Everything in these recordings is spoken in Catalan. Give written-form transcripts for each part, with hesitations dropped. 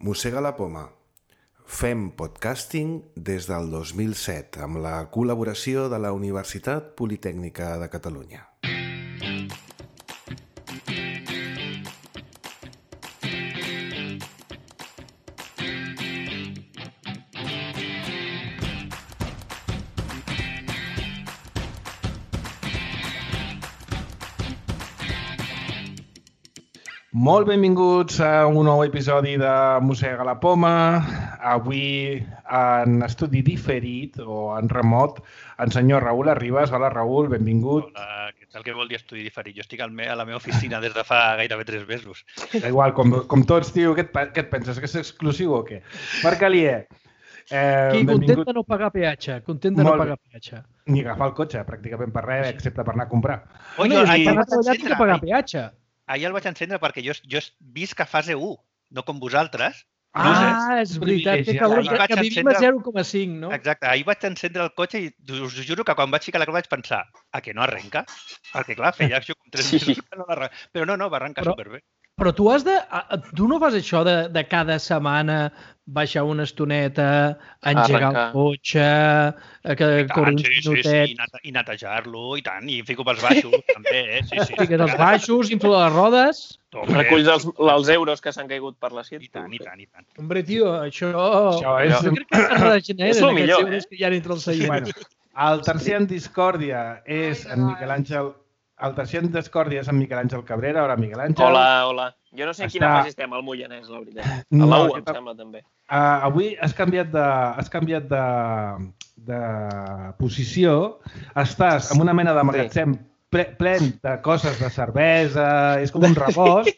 Mossega la poma. Fem podcasting des del 2007 amb la col·laboració de la Universitat Politècnica de Catalunya. Molt benvinguts a un nou episodi de Mossega la poma. Avui en estudi diferit o en remot el senyor Raül Arribas. Hola Raül, benvingut. Hola, què tal? Què vol dir estudi diferit? Jo estic a la meva oficina des de fa gairebé 3 mesos. Igual, com tots, tio, què et penses? Que és exclusiu o què? Marc Alier. Content de no pagar peatge, Ni agafar el cotxe, pràcticament per res, excepte per anar a comprar. Que pagar peatge. Ahir el vaig encendre perquè jo visc a fase 1, no com vosaltres. És veritat, que vivim a 0,5, no? Exacte, ahir vaig encendre el cotxe i us juro que quan vaig ficar la clau vaig pensar que no arrenca? Perquè clar, feia això com 3 mesos que no l'arrenca. Però no, va arrencar superbé. Però tu no fas això de cada setmana baixar una estoneta, engegar el cotxe, córrer uns minutets... I netejar-lo, i tant, i fico pels baixos, també, sí. Fiques els baixos, inflo les rodes... Reculls els euros que s'han caigut per la CIT. I tant. Hombre, tio, això... Jo crec que es regeneren aquests euros que hi ha entre el seguiment. El tercer en discòrdia és en Miquel Àngel... El tercer en discòrdia és en Miquel Àngel Cabrera. Hola, Miquel Àngel. Hola. Jo no sé en quina fase estem, al Moianès, la veritat. A la U, em sembla, també. Avui has canviat de posició. Estàs en una mena de magatzem plen de coses de cervesa, és com un rebost,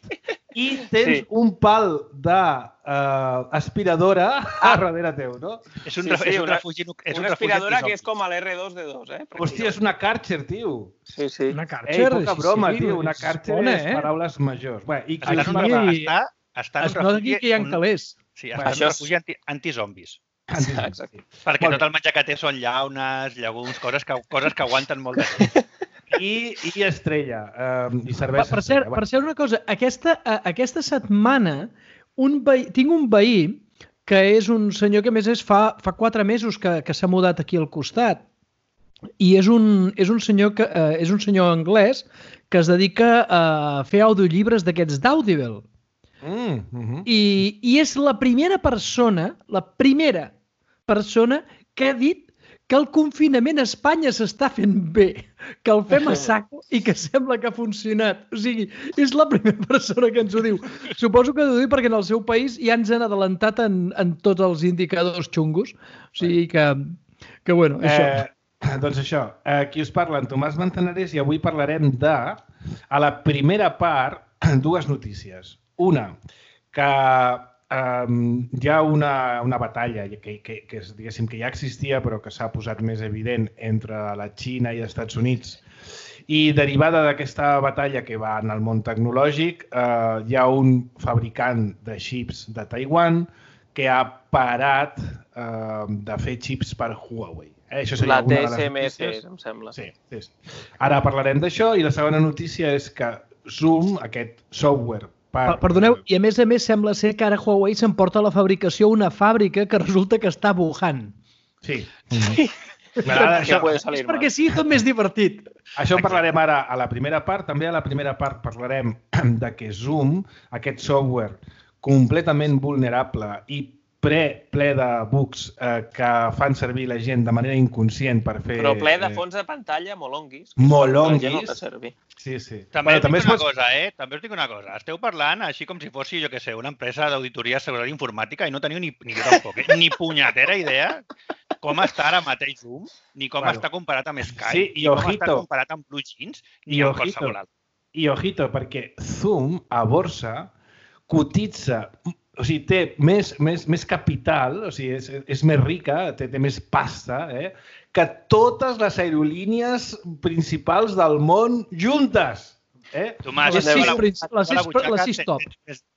i tens un pal d'aspiradora a darrere teu, no? És un refugi. Una aspiradora que és com a l'R2D2, eh? Hòstia, és una Karcher, tio. Sí. Una Karcher? Poca broma, tio. Una Karcher és paraules majors. Està es nota aquí que hi ha calés. Sí, està en un refugi antizombis. Exacte. Perquè tot el menjar que té són llaunes, llegums, coses que aguanten molt de temps. I estrella, i cervesa. Per cert, una cosa, aquesta setmana tinc un veí que és un senyor que a més fa 4 mesos que s'ha mudat aquí al costat i és un senyor anglès que es dedica a fer audiollibres d'aquests d'Audible. I és la primera persona que ha dit que el confinament a Espanya s'està fent bé, que el fem a saco i que sembla que ha funcionat. O sigui, és la primera persona que ens ho diu. Suposo que ho diu perquè en el seu país ja ens han adelantat en tots els indicadors xungos. O sigui que bueno, això. Doncs això, aquí us parla en Tomàs Manzanares i avui parlarem a la primera part, 2 notícies. Una, que hi ha una batalla que diguéssim que ja existia però que s'ha posat més evident entre la Xina i els Estats Units i derivada d'aquesta batalla que va en el món tecnològic hi ha un fabricant de xips de Taiwan que ha parat de fer xips per Huawei. La TSMC, em sembla. Sí. Ara parlarem d'això i la segona notícia és que Zoom, aquest software Perdoneu, i a més sembla ser que ara Huawei s'emporta la fabricació a una fàbrica que resulta que està a Wuhan. Sí. És perquè sí, tot més divertit. Això en parlarem ara a la primera part. També a la primera part parlarem de que Zoom, aquest software completament vulnerable i ple de bugs que fan servir la gent de manera inconscient per fer... Però ple de fons de pantalla molonguis. Molonguis. Sí. També us dic una cosa. Esteu parlant així com si fossi, jo què sé, una empresa d'auditoria de seguretat informàtica i no teniu ni jo tampoc, ni punyetera idea com està ara mateix Zoom, ni com està comparat amb Skype, ni com està comparat amb BlueJeans, ni amb qualsevol altre. I ojito, perquè Zoom a borsa cotitza... O sigui, té més capital, o sigui, és més rica, té més pasta, que totes les aerolínies principals del món juntes. Tomàs, les 6 top.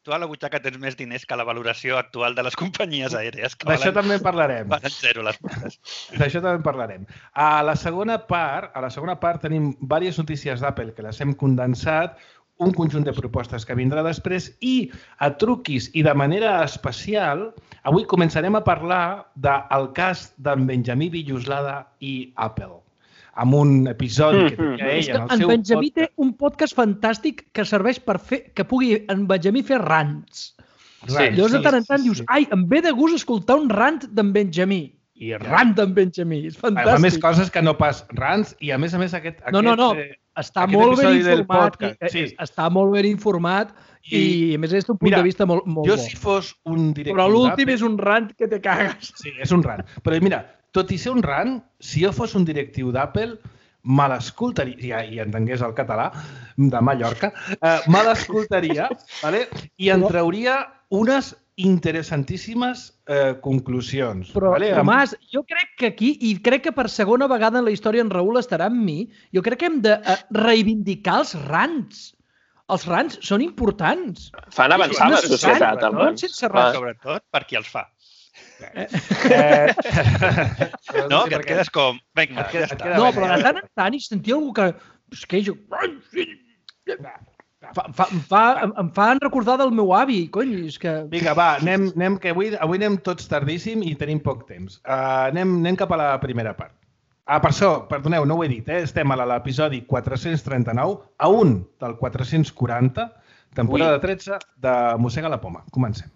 Tu a la butxaca tens més diners que la valoració actual de les companyies aèries. D'això també en parlarem. Valen 0 les portes. D'això també en parlarem. A la segona part tenim diverses notícies d'Apple que les hem condensat. un conjunt de propostes que vindrà després i a truquis i de manera especial, avui començarem a parlar del cas d'en Benjamí Villoslada i Apple, amb un episodi que tenia ell en el seu En Benjamí té un podcast fantàstic que serveix per fer que pugui en Benjamí fer rants. Llavors de tant en tant dius, ai, em ve de gust escoltar un rant d'en Benjamí. I rant d'en Benjamí, és fantàstic. Fa més coses que no pas rants i a més aquest No, està molt ben informat. Està molt ben informat i a més és un punt de vista molt bo. Jo si fos un directiu Però l'últim és un rant que te cagues. Sí, és un rant. Però mira, tot i ser un rant, si jo fos un directiu d'Apple, me l'escoltaria, i entengués el català de Mallorca, me l'escoltaria i en trauria unes interessantíssimes conclusions. Però, Tomàs, jo crec que aquí, i crec que per segona vegada en la història en Raül estarà amb mi, jo crec que hem de reivindicar els rants. Els rants són importants. Fan avançar la societat, almenys. Sobretot per qui els fa. No, que et quedes com... Vinga, no, però de tant en tant hi sentia algú que... Es queixa... Em fan recordar del meu avi, cony, és que... Vinga, va, anem que avui anem tots tardíssim i tenim poc temps. Anem cap a la primera part. Per això, perdoneu, no ho he dit, estem a l'episodi 439, a un del 440, temporada 13 de Mossega la Poma. Comencem.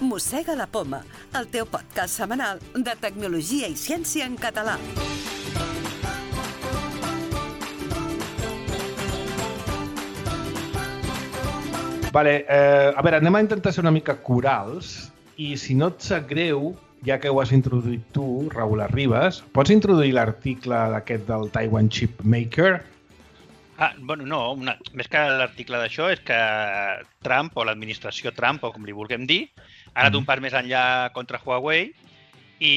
Mossega la Poma, el teu podcast setmanal de tecnologia i ciència en català. Vale, a veure, anem a intentar ser una mica corals i si no et sap greu, ja que ho has introduït tu, Raül Arribas, pots introduir l'article d'aquest del Taiwan Chip Maker? Bueno, no, més que l'article d'això és que Trump o l'administració Trump, o com li vulguem dir, ha anat un pas més enllà contra Huawei i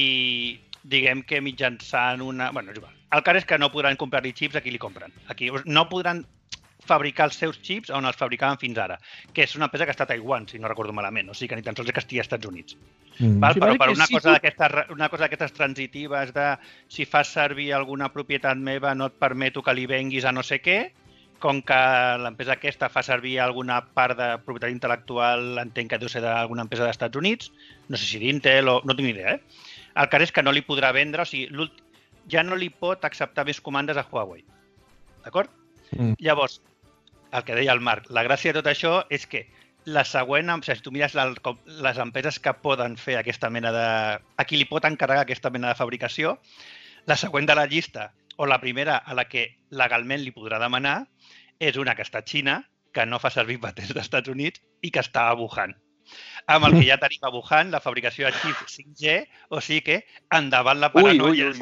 diguem que mitjançant una... Bueno, és igual. El cas és que no podran comprar-li xips a qui li compren. Aquí no podran fabricar els seus xips on els fabricaven fins ara, que és una empresa que està a Taiwan, si no recordo malament, o sigui que ni tan sols és que estigui als Estats Units. Però per una cosa d'aquestes transitives de si fas servir alguna propietat meva no et permeto que li venguis a no sé què, com que l'empresa aquesta fa servir alguna part de propietat intel·lectual, entenc que deu ser d'alguna empresa dels Estats Units, no sé si d'Intel o... no tinc ni idea, El cas és que no li podrà vendre, o sigui, ja no li pot acceptar més comandes a Huawei. D'acord? Llavors, el que deia el Marc, la gràcia de tot això és que la següent, o sigui, si tu mires les empreses que poden fer aquesta mena de... a qui li pot encarregar aquesta mena de fabricació, la següent de la llista, o la primera a la que legalment li podrà demanar, és una que està a Xina, que no fa servir patents dels Estats Units i que està a Wuhan. Amb el que ja tenim a Wuhan, la fabricació de xips 5G, o sigui que endavant la paranoia,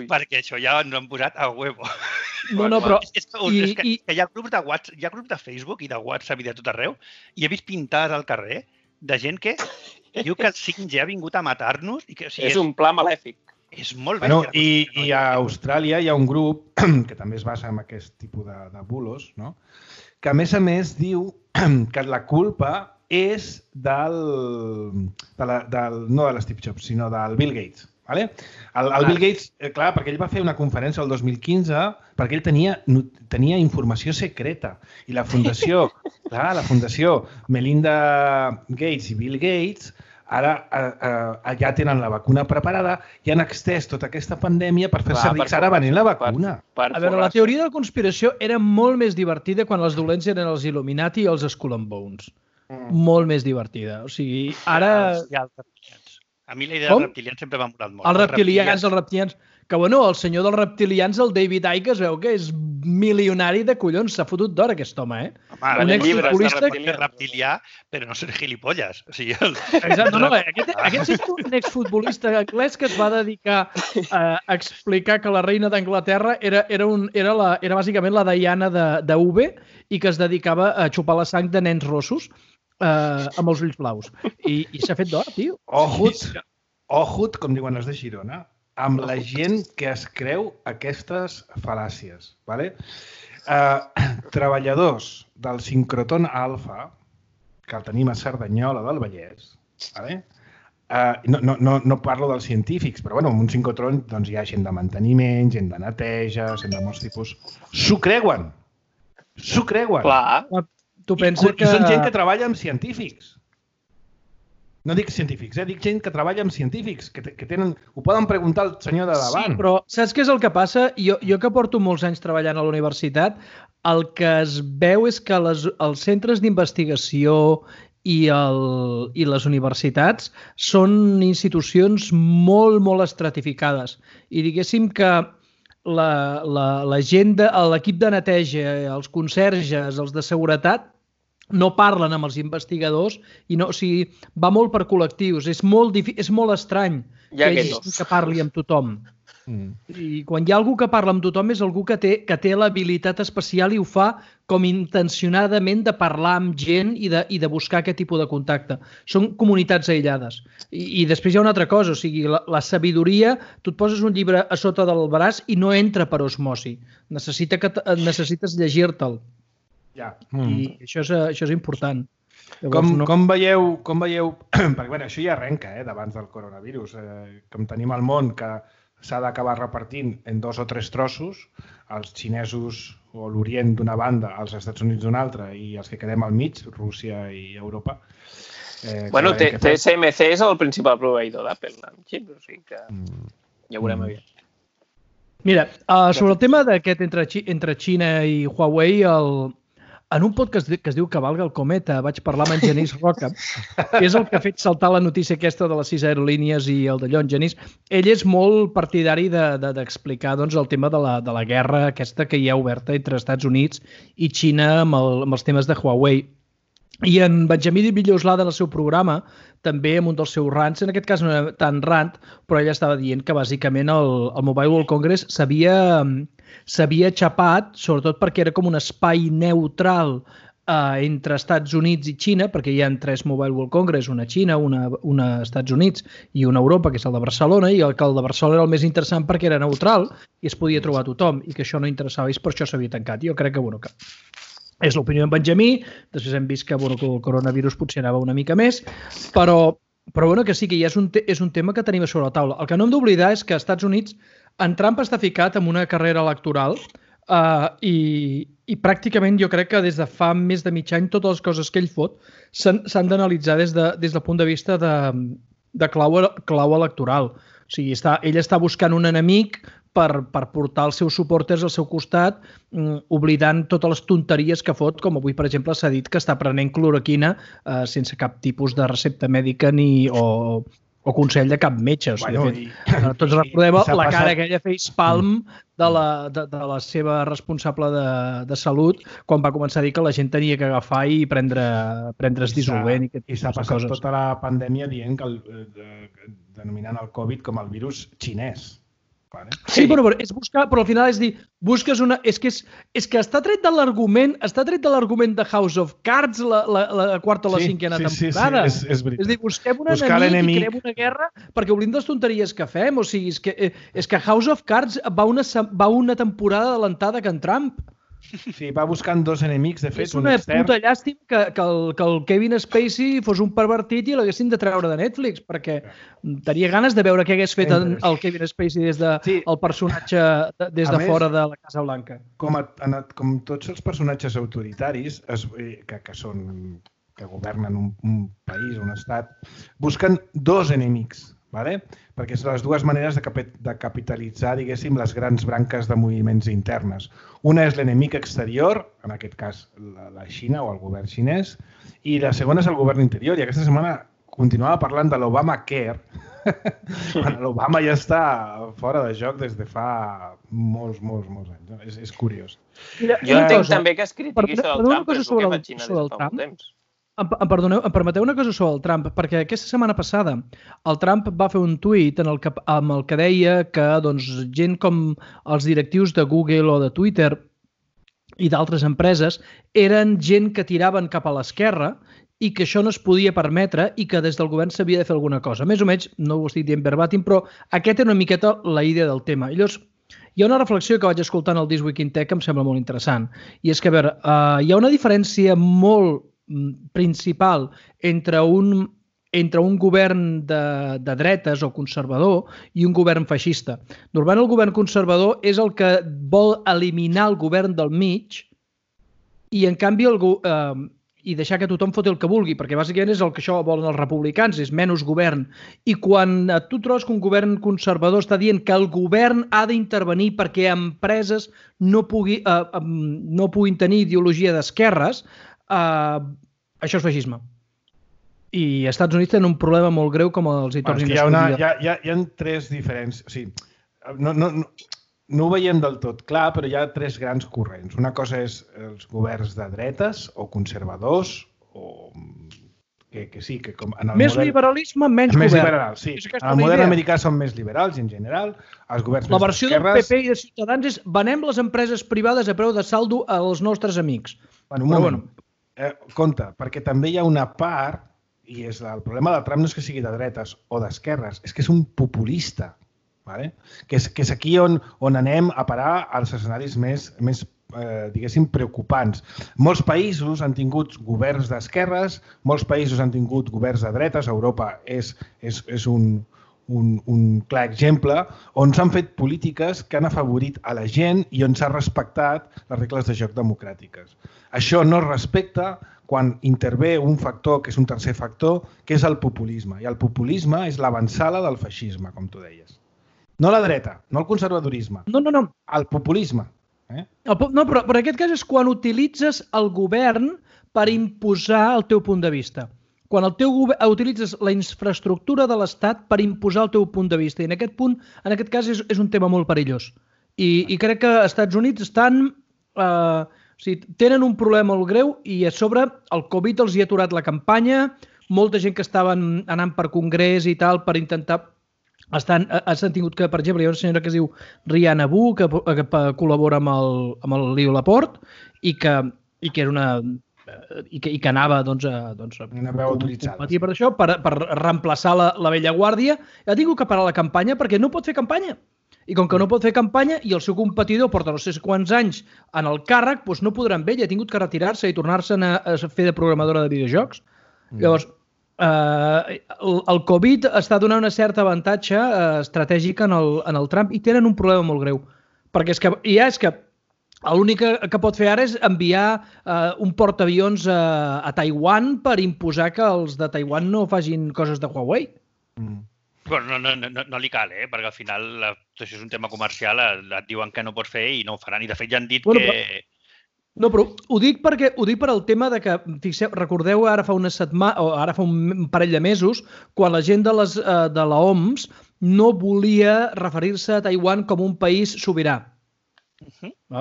perquè això ja ens ho han posat a huevo. No, però... És que hi ha grups de WhatsApp, hi ha grups de Facebook i de WhatsApp i de tot arreu, i he vist pintades al carrer de gent que diu que el 5G ha vingut a matar-nos. És un pla malèfic. És molt bé. I a Austràlia hi ha un grup que també es basa en aquest tipus de bulos, no? Que a més diu que la culpa és no de l'Steve Jobs, sinó del Bill Gates. El Bill Gates, clar, perquè ell va fer una conferència el 2015 perquè ell tenia informació secreta i la fundació Melinda Gates i Bill Gates ara ja tenen la vacuna preparada i han extès tota aquesta pandèmia per fer servir ara venint la vacuna. A veure, la teoria de la conspiració era molt més divertida quan els dolents eren els Illuminati i els Skull and Bones. Molt més divertida. O sigui, ara... A mi la idea dels reptilians sempre m'ha molat molt. Els reptilians. Que, bueno, el senyor dels reptilians, el David Icke, es veu que és milionari de collons. S'ha fotut d'hora, aquest home, Home, un exfutbolista... Pot ser reptilià, però no ser gilipolles. O sigui, aquest és un exfutbolista anglès que es va dedicar a explicar que la reina d'Anglaterra era bàsicament la Diana de UV i que es dedicava a xupar la sang de nens rossos amb els ulls blaus. I s'ha fet d'or, tio. Ojut, com diuen els de Girona, amb la gent que es creu aquestes fal·làcies. Treballadors del sincroton alfa que el tenim a Cerdanyola del Vallès, vale? No parlo dels científics, però bueno, en un sincrotró doncs, hi ha gent de manteniment, gent de neteja, gent de molts tipus. S'ho creuen! S'ho creuen! Clar. Tu penses I són gent que treballa amb científics. No dic científics, dic gent que treballa amb científics, que tenen... Ho poden preguntar al senyor de davant. Sí, però saps què és el que passa? Jo que porto molts anys treballant a la universitat, el que es veu és que els centres d'investigació i les universitats són institucions molt, molt estratificades. I diguéssim que la gent, l'equip de neteja, els conserges, els de seguretat, no parlen amb els investigadors i no, o sigui, va molt per col·lectius. És molt estrany que parli amb tothom. I quan hi ha algú que parla amb tothom és algú que té l'habilitat especial i ho fa com intencionadament de parlar amb gent i de buscar aquest tipus de contacte. Són comunitats aïllades. I després hi ha una altra cosa, o sigui, la sabidoria, tu et poses un llibre a sota del braç i no entra per osmosi. Necessites llegir-te'l. Ja. I això és important. Llavors, com veieu, perquè bueno, això ja arrenca d'abans del coronavirus, com tenim el món que s'ha d'acabar repartint en 2 o 3 trossos, els xinesos o l'Orient d'una banda, els Estats Units d'una altra i els que quedem al mig, Rússia i Europa. Bueno, TSMC és el principal proveïdor d'Apple amb xips, o sigui que ja ho veurem aviat. Mira, sobre el tema d'aquest entre Xina i Huawei, en un podcast que es diu Cavalga el cometa vaig parlar amb en Genís Roca, que és el que ha fet saltar la notícia aquesta de les 6 aerolínies i el d'allò. En Genís, ell és molt partidari d'explicar el tema de la guerra aquesta que hi ha oberta entre Estats Units i Xina amb els temes de Huawei. I en Benjamí Villoslada, en el seu programa, també amb un dels seus rants, en aquest cas no era tan rant, però ell estava dient que bàsicament el Mobile World Congress s'havia xapat, sobretot perquè era com un espai neutral entre Estats Units i Xina, perquè hi ha 3 Mobile World Congress, una a Xina, una a Estats Units i una a Europa, que és el de Barcelona, i el de Barcelona era el més interessant perquè era neutral i es podia trobar tothom, i que això no interessava, i per això s'havia tancat. Jo crec que, és l'opinió d'en Benjamí, després hem vist que el coronavirus potser anava una mica més, però que sí que ja és un tema que tenim a sobre la taula. El que no hem d'oblidar és que als Estats Units en Trump està ficat en una carrera electoral i pràcticament jo crec que des de fa més de mig any totes les coses que ell fot s'han d'analitzar des del punt de vista de clau electoral. O sigui, ell està buscant un enemic per portar els seus suporters al seu costat, oblidant totes les tonteries que fot, com avui, per exemple, s'ha dit que està prenent cloroquina sense cap tipus de recepta mèdica o consell de cap metge. Tots recordem la cara aquella facepalm de la seva responsable de salut quan va començar a dir que la gent tenia que agafar i prendre's dissolvent. I s'ha passat tota la pandèmia dient denominant el Covid com el virus xinès. Sí, però és buscar, però al final és dir, busques una... És que està tret de l'argument de House of Cards, la quarta o la cinquena temporada. Sí, és veritat. És dir, busquem un enemic i creem una guerra perquè oblidem les tonteries que fem. O sigui, és que House of Cards va una temporada adelantada que en Trump. Sí, va buscant 2 enemics, de fet, un extern. És una puta llàstima que el Kevin Spacey fos un pervertit i l'haguessin de treure de Netflix, perquè tenia ganes de veure què hagués fet el Kevin Spacey des del personatge des de fora de la Casa Blanca. Com tots els personatges autoritaris que governen un país, un estat, busquen 2 enemics, perquè són les 2 maneres de capitalitzar, diguéssim, les grans branques de moviments internes. Una és l'enemic exterior, en aquest cas la Xina o el govern xinès, i la segona és el govern interior. I aquesta setmana continuava parlant de l'Obamacare, quan l'Obama ja està fora de joc des de fa molts anys. És curiós. Jo entenc també que es critiqui sobre el Trump, però és el que fa Xina des de fa molt temps. Perdoneu, em permeteu una cosa sobre el Trump, perquè aquesta setmana passada el Trump va fer un tuit amb el que deia que gent com els directius de Google o de Twitter i d'altres empreses eren gent que tiraven cap a l'esquerra i que això no es podia permetre i que des del govern s'havia de fer alguna cosa. Més o menys, no ho estic dient verbatim, però aquesta era una miqueta la idea del tema. Llavors, hi ha una reflexió que vaig escoltar en el This Week in Tech que em sembla molt interessant. I és que, a veure, hi ha una diferència molt principal entre un govern de dretes o conservador i un govern feixista. Normalment el govern conservador és el que vol eliminar el govern del mig i, en canvi, i deixar que tothom foti el que vulgui, perquè bàsicament és el que això volen els republicans, és menys govern. I quan tu trobes que un govern conservador està dient que el govern ha d'intervenir perquè empreses no puguin tenir ideologia d'esquerres, això és feixisme. I als Estats Units tenen un problema molt greu com els hi tornin a escollir. Hi ha tres diferents... O sigui, no ho veiem del tot clar, però hi ha tres grans corrents. Una cosa és els governs de dretes o conservadors, o que sí, que com en el més model... liberalisme, menys més govern. Liberal, sí. En el model americà són més liberals, en general. Els governs la versió del PP i de Ciutadans és venem les empreses privades a preu de saldo als nostres amics. Bueno, un moment. Compte, perquè també hi ha una part, i el problema del Trump no és que sigui de dretes o d'esquerres, és que és un populista, vale? que és aquí on anem a parar als escenaris més diguéssim, preocupants. Molts països han tingut governs d'esquerres, molts països han tingut governs de dretes, Europa és un clar exemple, on s'han fet polítiques que han afavorit a la gent i on s'ha respectat les regles de joc democràtiques. Això no es respecta quan intervé un factor, que és un tercer factor, que és el populisme. I el populisme és l'avançada del feixisme, com tu deies. No la dreta, no el conservadorisme. No. El populisme. No, però en aquest cas és quan utilitzes el govern per imposar el teu punt de vista. Quan utilitzes la infraestructura de l'Estat per imposar el teu punt de vista. I en aquest cas és un tema molt perillós. I crec que als Estats Units estan... tenen un problema molt greu i a sobre el Covid els hi ha aturat la campanya, molta gent que estaven anant per congrés i tal per intentar... Han tingut que, per exemple, hi ha una senyora que es diu Rihanna Wu, que col·labora amb el Leo Laporte i que era una... i que anava una veu autoritzada per això, per reemplaçar la vella guàrdia. Ha tingut que parar la campanya perquè no pot fer campanya. I com que no pot fer campanya i el seu competidor porta no sé quants anys en el càrrec, doncs no podrà amb ell, ha tingut que retirar-se i tornar-se a fer de programadora de videojocs. Llavors, el Covid està donant una certa avantatge estratègic en el Trump i tenen un problema molt greu. Perquè és que l'únic que pot fer ara és enviar un portaavions a Taiwan per imposar que els de Taiwan no facin coses de Huawei. Bueno, no li cal, perquè al final això és un tema comercial, et diuen que no pots fer i no ho faran. I de fet ja han dit que... No, però ho dic per el tema de que, fixeu, recordeu ara fa una setmana, o ara fa un parell de mesos, quan la gent de l'OMS no volia referir-se a Taiwan com un país sobirà.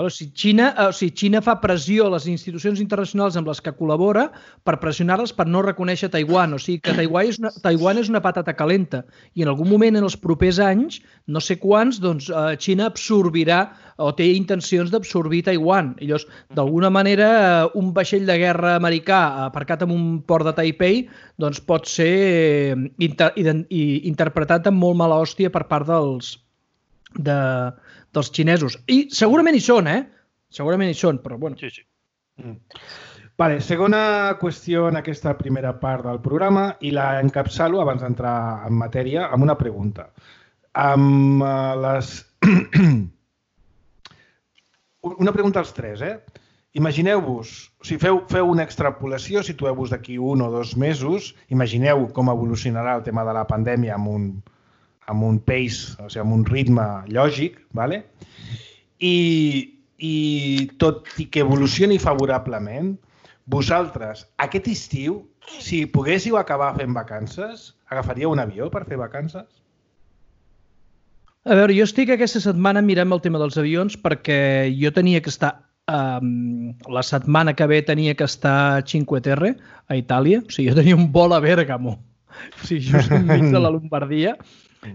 Si Xina fa pressió a les institucions internacionals amb les que col·labora per pressionar-les per no reconèixer Taiwan, o sigui que Taiwan és una patata calenta i en algun moment en els propers anys, no sé quants, doncs Xina absorbirà o té intencions d'absorbir Taiwan. I llavors, d'alguna manera, un vaixell de guerra americà aparcat en un port de Taipei doncs pot ser interpretat amb molt mala hòstia per part dels xinesos. I segurament hi són, Segurament hi són, però bueno. Sí. Vale, segona qüestió en aquesta primera part del programa i la encapçalo abans d'entrar en matèria amb una pregunta. Una pregunta als tres, Imagineu-vos, si feu una extrapolació, situeu-vos d'aquí 1 o 2 mesos, imagineu com evolucionarà el tema de la pandèmia amb un pace, o sigui, amb un ritme lògic, ¿vale? I tot i que evolucioni favorablement, vosaltres, aquest estiu, si poguéssiu acabar fent vacances, agafaríeu un avió per fer vacances? A veure, jo estic aquesta setmana mirant el tema dels avions perquè jo tenia que estar, la setmana que ve tenia que estar a Cinque Terre, a Itàlia. O sigui, jo tenia un vol a Bèrgamo, o sigui, just enmig de la Lombardia.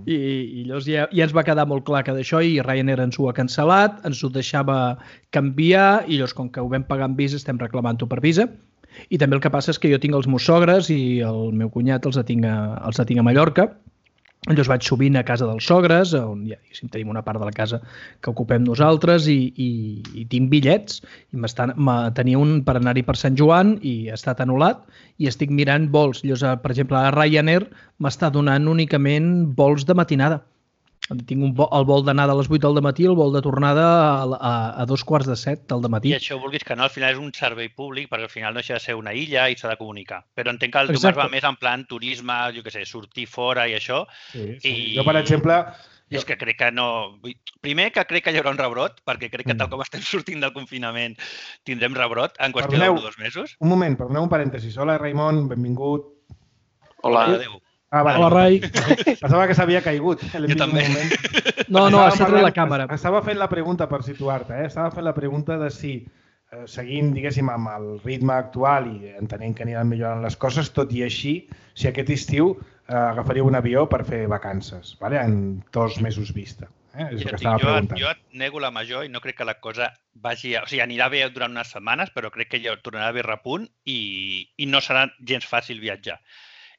I llavors ja ens va quedar molt clar que d'això i Ryanair ens ho ha cancel·lat, ens ho deixava canviar i llavors com que ho vam pagar amb Visa estem reclamant-ho per Visa. I també el que passa és que jo tinc els meus sogres i el meu cunyat els tinc a Mallorca Llavors vaig sovint a casa dels sogres, on ja tenim una part de la casa que ocupem nosaltres i tinc bitllets. Tenia un per anar-hi per Sant Joan i ha estat anul·lat i estic mirant vols. Llavors, per exemple, a Ryanair m'està donant únicament vols de matinada. Tinc el vol d'anada a les 8 del matí i el vol de tornada a 6:45 del matí. I això vulguis que no, al final és un servei públic perquè al final no deixa de ser una illa i s'ha de comunicar. Però entenc que el Tomàs va més en plan turisme, jo què sé, sortir fora i això. Sí. Jo, per exemple... És que crec que no... Primer, que crec que hi haurà un rebrot, perquè crec que tal com estem sortint del confinament tindrem rebrot en qüestió de 1 o 2 mesos. Un moment, perdoneu un parèntesis. Hola, Raimon, benvingut. Hola. Adéu. Hola, Rai. Pensava que s'havia caigut. Jo també. No, ha estat la càmera. Estava fent la pregunta, per situar-te, estava fent la pregunta de si, seguint, diguéssim, amb el ritme actual i entenent que aniran millorant les coses, tot i així, si aquest estiu agafaríeu un avió per fer vacances, en 2 mesos vista. És el que estava preguntant. Jo et nego la major i no crec que la cosa vagi... O sigui, anirà bé durant unes setmanes, però crec que ja tornarà a haver repunt i no serà gens fàcil viatjar.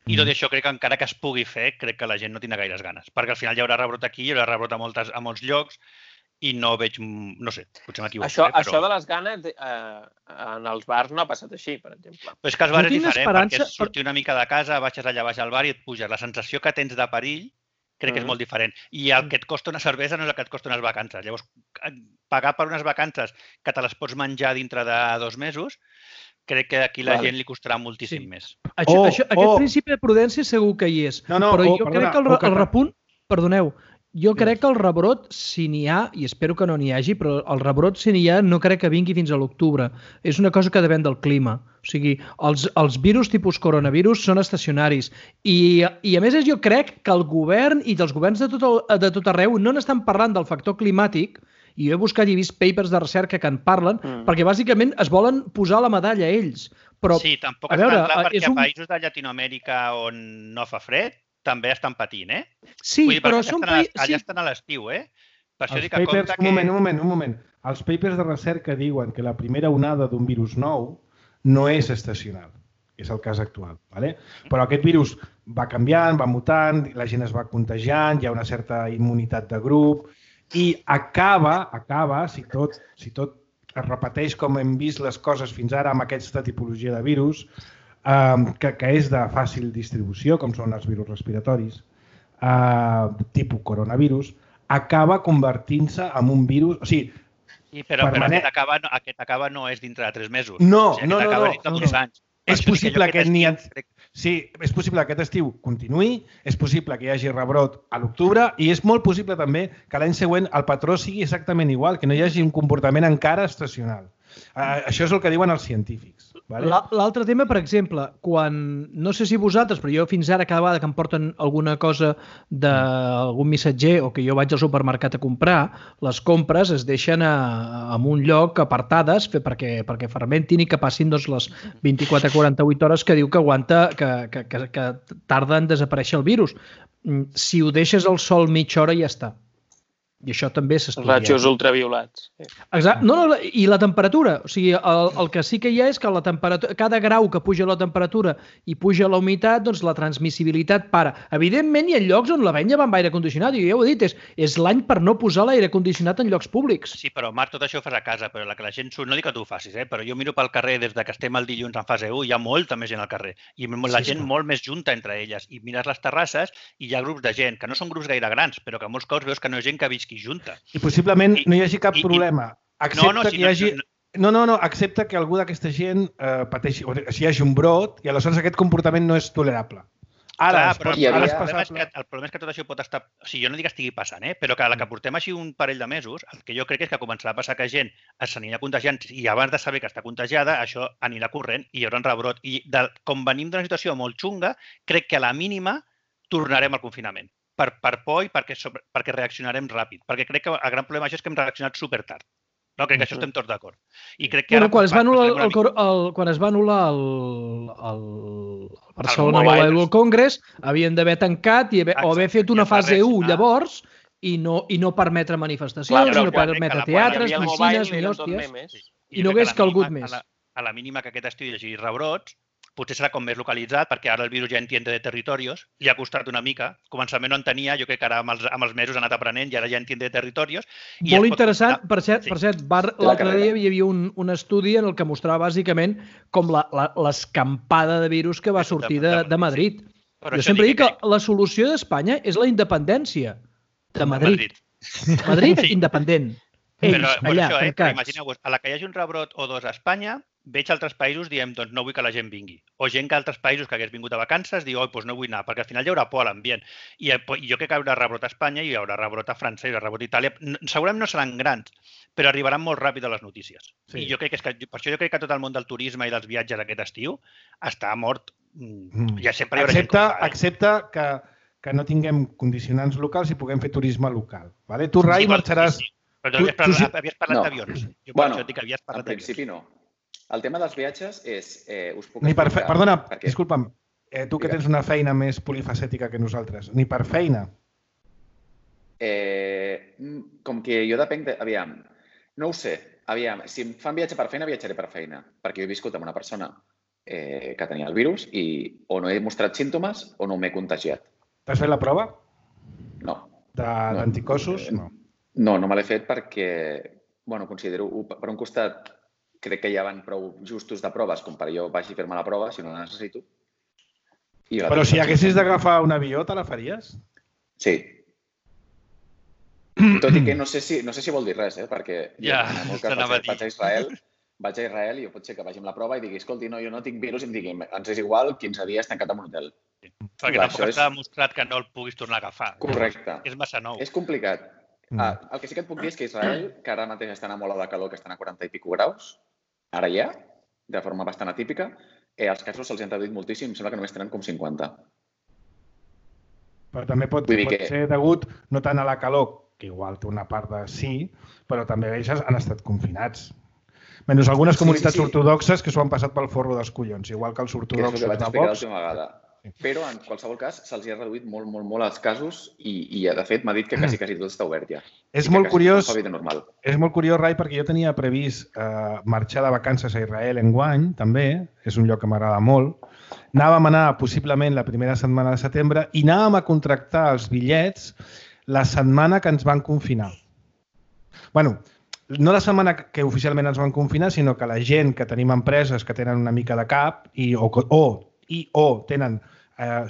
I tot això crec que encara que es pugui fer, crec que la gent no tindrà gaires ganes. Perquè al final hi haurà rebrot aquí, hi haurà rebrot a molts llocs i no veig... No sé, potser m'equivoco. Això de les ganes en els bars no ha passat així, per exemple. Però és que els bars és diferent, perquè és sortir una mica de casa, baixes allà baix al bar i et puges. La sensació que tens de perill crec que és molt diferent. I el que et costa una cervesa no és el que et costa unes vacances. Llavors, pagar per unes vacances que te les pots menjar dintre de 2 mesos, crec que aquí la gent li costarà moltíssim més. Aquest principi de prudència segur que hi és. Però jo crec que el repunt... Perdoneu, jo crec que el rebrot, si n'hi ha, i espero que no n'hi hagi, però el rebrot, si n'hi ha, no crec que vingui fins a l'octubre. És una cosa que depèn del clima. O sigui, els virus tipus coronavirus són estacionaris. I a més, jo crec que el govern i els governs de tot arreu no n'estan parlant del factor climàtic, i jo he buscat i he vist papers de recerca que en parlen, perquè bàsicament es volen posar la medalla ells. Però, sí, tampoc és tan clar perquè a països de Llatinoamèrica on no fa fred també estan patint, Sí, però són països... Allà estan a l'estiu, Per això dic que compte que... Un moment. Els papers de recerca diuen que la primera onada d'un virus nou no és estacional. És el cas actual. Però aquest virus va canviant, va mutant, la gent es va contagiant, hi ha una certa immunitat de grup i acaba, si tot es repeteix com hem vist les coses fins ara amb aquesta tipologia de virus, que és de fàcil distribució, com són els virus respiratoris, tipus coronavirus, acaba convertint-se en un virus... O sigui, però aquest acaba no és dintre de 3 mesos. No. Acaba dintre d'2 anys. És possible que és possible que aquest estiu continuï, és possible que hi hagi rebrot a l'octubre i és molt possible també que l'any següent el patró sigui exactament igual, que no hi hagi un comportament encara estacional. Això és el que diuen els científics. L'altre tema, per exemple, quan, no sé si vosaltres, però jo fins ara cada vegada que em porten alguna cosa d'algun missatger o que jo vaig al supermercat a comprar, les compres es deixen en un lloc apartades perquè fermentin i que passin les 24-48 hores que diu que aguanta, que tarda en desaparèixer el virus. Si ho deixes al sol mitja hora ja està. I això també s'estudia. Rajos ultraviolats. Exacte. I la temperatura. O sigui, el que sí que hi ha és que cada grau que puja la temperatura i puja la humitat, doncs la transmissibilitat para. Evidentment, hi ha llocs on la venya va amb aire condicionat, i ja ho he dit, és l'any per no posar l'aire condicionat en llocs públics. Sí, però Marc, tot això ho fas a casa, però la que la gent surt, no dic que tu ho facis, però jo miro pel carrer des que estem el dilluns en fase 1, hi ha molta més gent al carrer, i la gent molt més junta entre elles, i mires les terrasses i hi ha grups de gent, que no són grups gaire grans, però que molts cops veus que no és gent que visqui junta. I possiblement no hi hagi cap problema. Accepta que algú d'aquesta gent pateixi, o si hi hagi un brot, i aleshores aquest comportament no és tolerable. El problema és que tot això pot estar... O sigui, jo no dic que estigui passant, però que a la que portem així un parell de mesos, el que jo crec és que començarà a passar que gent s'anirà contagiant i abans de saber que està contagiada, això anirà corrent i hi haurà un rebrot. I com venim d'una situació molt xunga, crec que a la mínima tornarem al confinament. Per por i perquè reaccionarem ràpid. Perquè crec que el gran problema d'això és que hem reaccionat supertard. No, crec que això estem tots d'acord. I crec que ara... Quan es va anul·lar el Barcelona Mobile Congress, havien d'haver tancat o haver fet una fase 1 llavors i no permetre manifestacions, no permetre teatres, piscines, ni hòsties, i no hagués calgut més. A la mínima que aquest estiu hi hagi rebrots, potser serà com més localitzat, perquè ara el virus ja entiende de territorios, li ha costat una mica. Començament no en tenia, jo crec que ara amb els mesos ha anat aprenent i ara ja entiende de territorios. Molt interessant, per cert, l'altre dia hi havia un estudi en el que mostrava bàsicament com l'escampada de virus que va sortir de Madrid. Jo sempre dic que la solució d'Espanya és la independència de Madrid. Madrid independent. Ells, allà, tancats. Imagineu-vos, a la que hi hagi un rebrot o dos a Espanya, veig altres països, diem, doncs no vull que la gent vingui. O gent que altres països que hagués vingut de vacances diu, doncs no vull anar, perquè al final hi haurà por a l'ambient. I jo crec que hi haurà rebrot a Espanya, hi haurà rebrot a França, hi haurà rebrot a Itàlia. Segurament no seran grans, però arribaran molt ràpid a les notícies. I jo crec que per això jo crec que tot el món del turisme i dels viatges aquest estiu està mort. Ja sempre hi haurà gent com fa. Excepte que no tinguem condicionants locals i puguem fer turisme local. Tu, Rai, marxaràs... Però tu havies parlat d'avions. Jo per això dic que havies parlat d'avions. En principi no. El tema dels viatges és... Perdona, disculpa'm, tu que tens una feina més polifacètica que nosaltres, ni per feina? Com que jo depenc de... Aviam, no ho sé. Aviam, si em fan viatge per feina, viatjaré per feina. Perquè jo he viscut amb una persona que tenia el virus i o no he mostrat símptomes o no m'he contagiat. T'has fet la prova? No. D'anticossos? No. No me l'he fet perquè, considero, per un costat, crec que ja van prou justos de proves com per jo vagi a fer-me la prova, si no la necessito. Però si haguessis d'agafar un avió, te la faries? Sí. Tot i que no sé si vol dir res, perquè en el meu cas vaig a Israel i pot ser que vagi amb la prova i digui, escolti, no, jo no tinc virus i em digui, ens és igual, 15 dies tancat en un hotel. Perquè tampoc està demostrat que no el puguis tornar a agafar. Correcte. És massa nou. És complicat. El que sí que et puc dir és que Israel, que ara mateix estan a molt de calor, que estan a 40 i pico graus, ara ja, de forma bastant atípica, els casos se'ls han reduït moltíssim, em sembla que només tenen com 50. Però també pot ser degut no tant a la calor, que igual té una part de sí, però també ells han estat confinats. Menys algunes comunitats ortodoxes que s'ho han passat pel forro dels collons, igual que els ortodoxos de Vox. Que és el que vaig explicar l'última vegada. Però, en qualsevol cas, se'ls ha reduït molt, molt, molt els casos i de fet, m'ha dit que quasi tot està obert ja. És molt curiós, Rai, perquè jo tenia previst marxar de vacances a Israel enguany, també, és un lloc que m'agrada molt. Anàvem a anar possiblement la primera setmana de setembre i anàvem a contractar els bitllets la setmana que ens van confinar. Bueno, no la setmana que oficialment ens van confinar, sinó que la gent que tenim empreses que tenen una mica de cap o tenen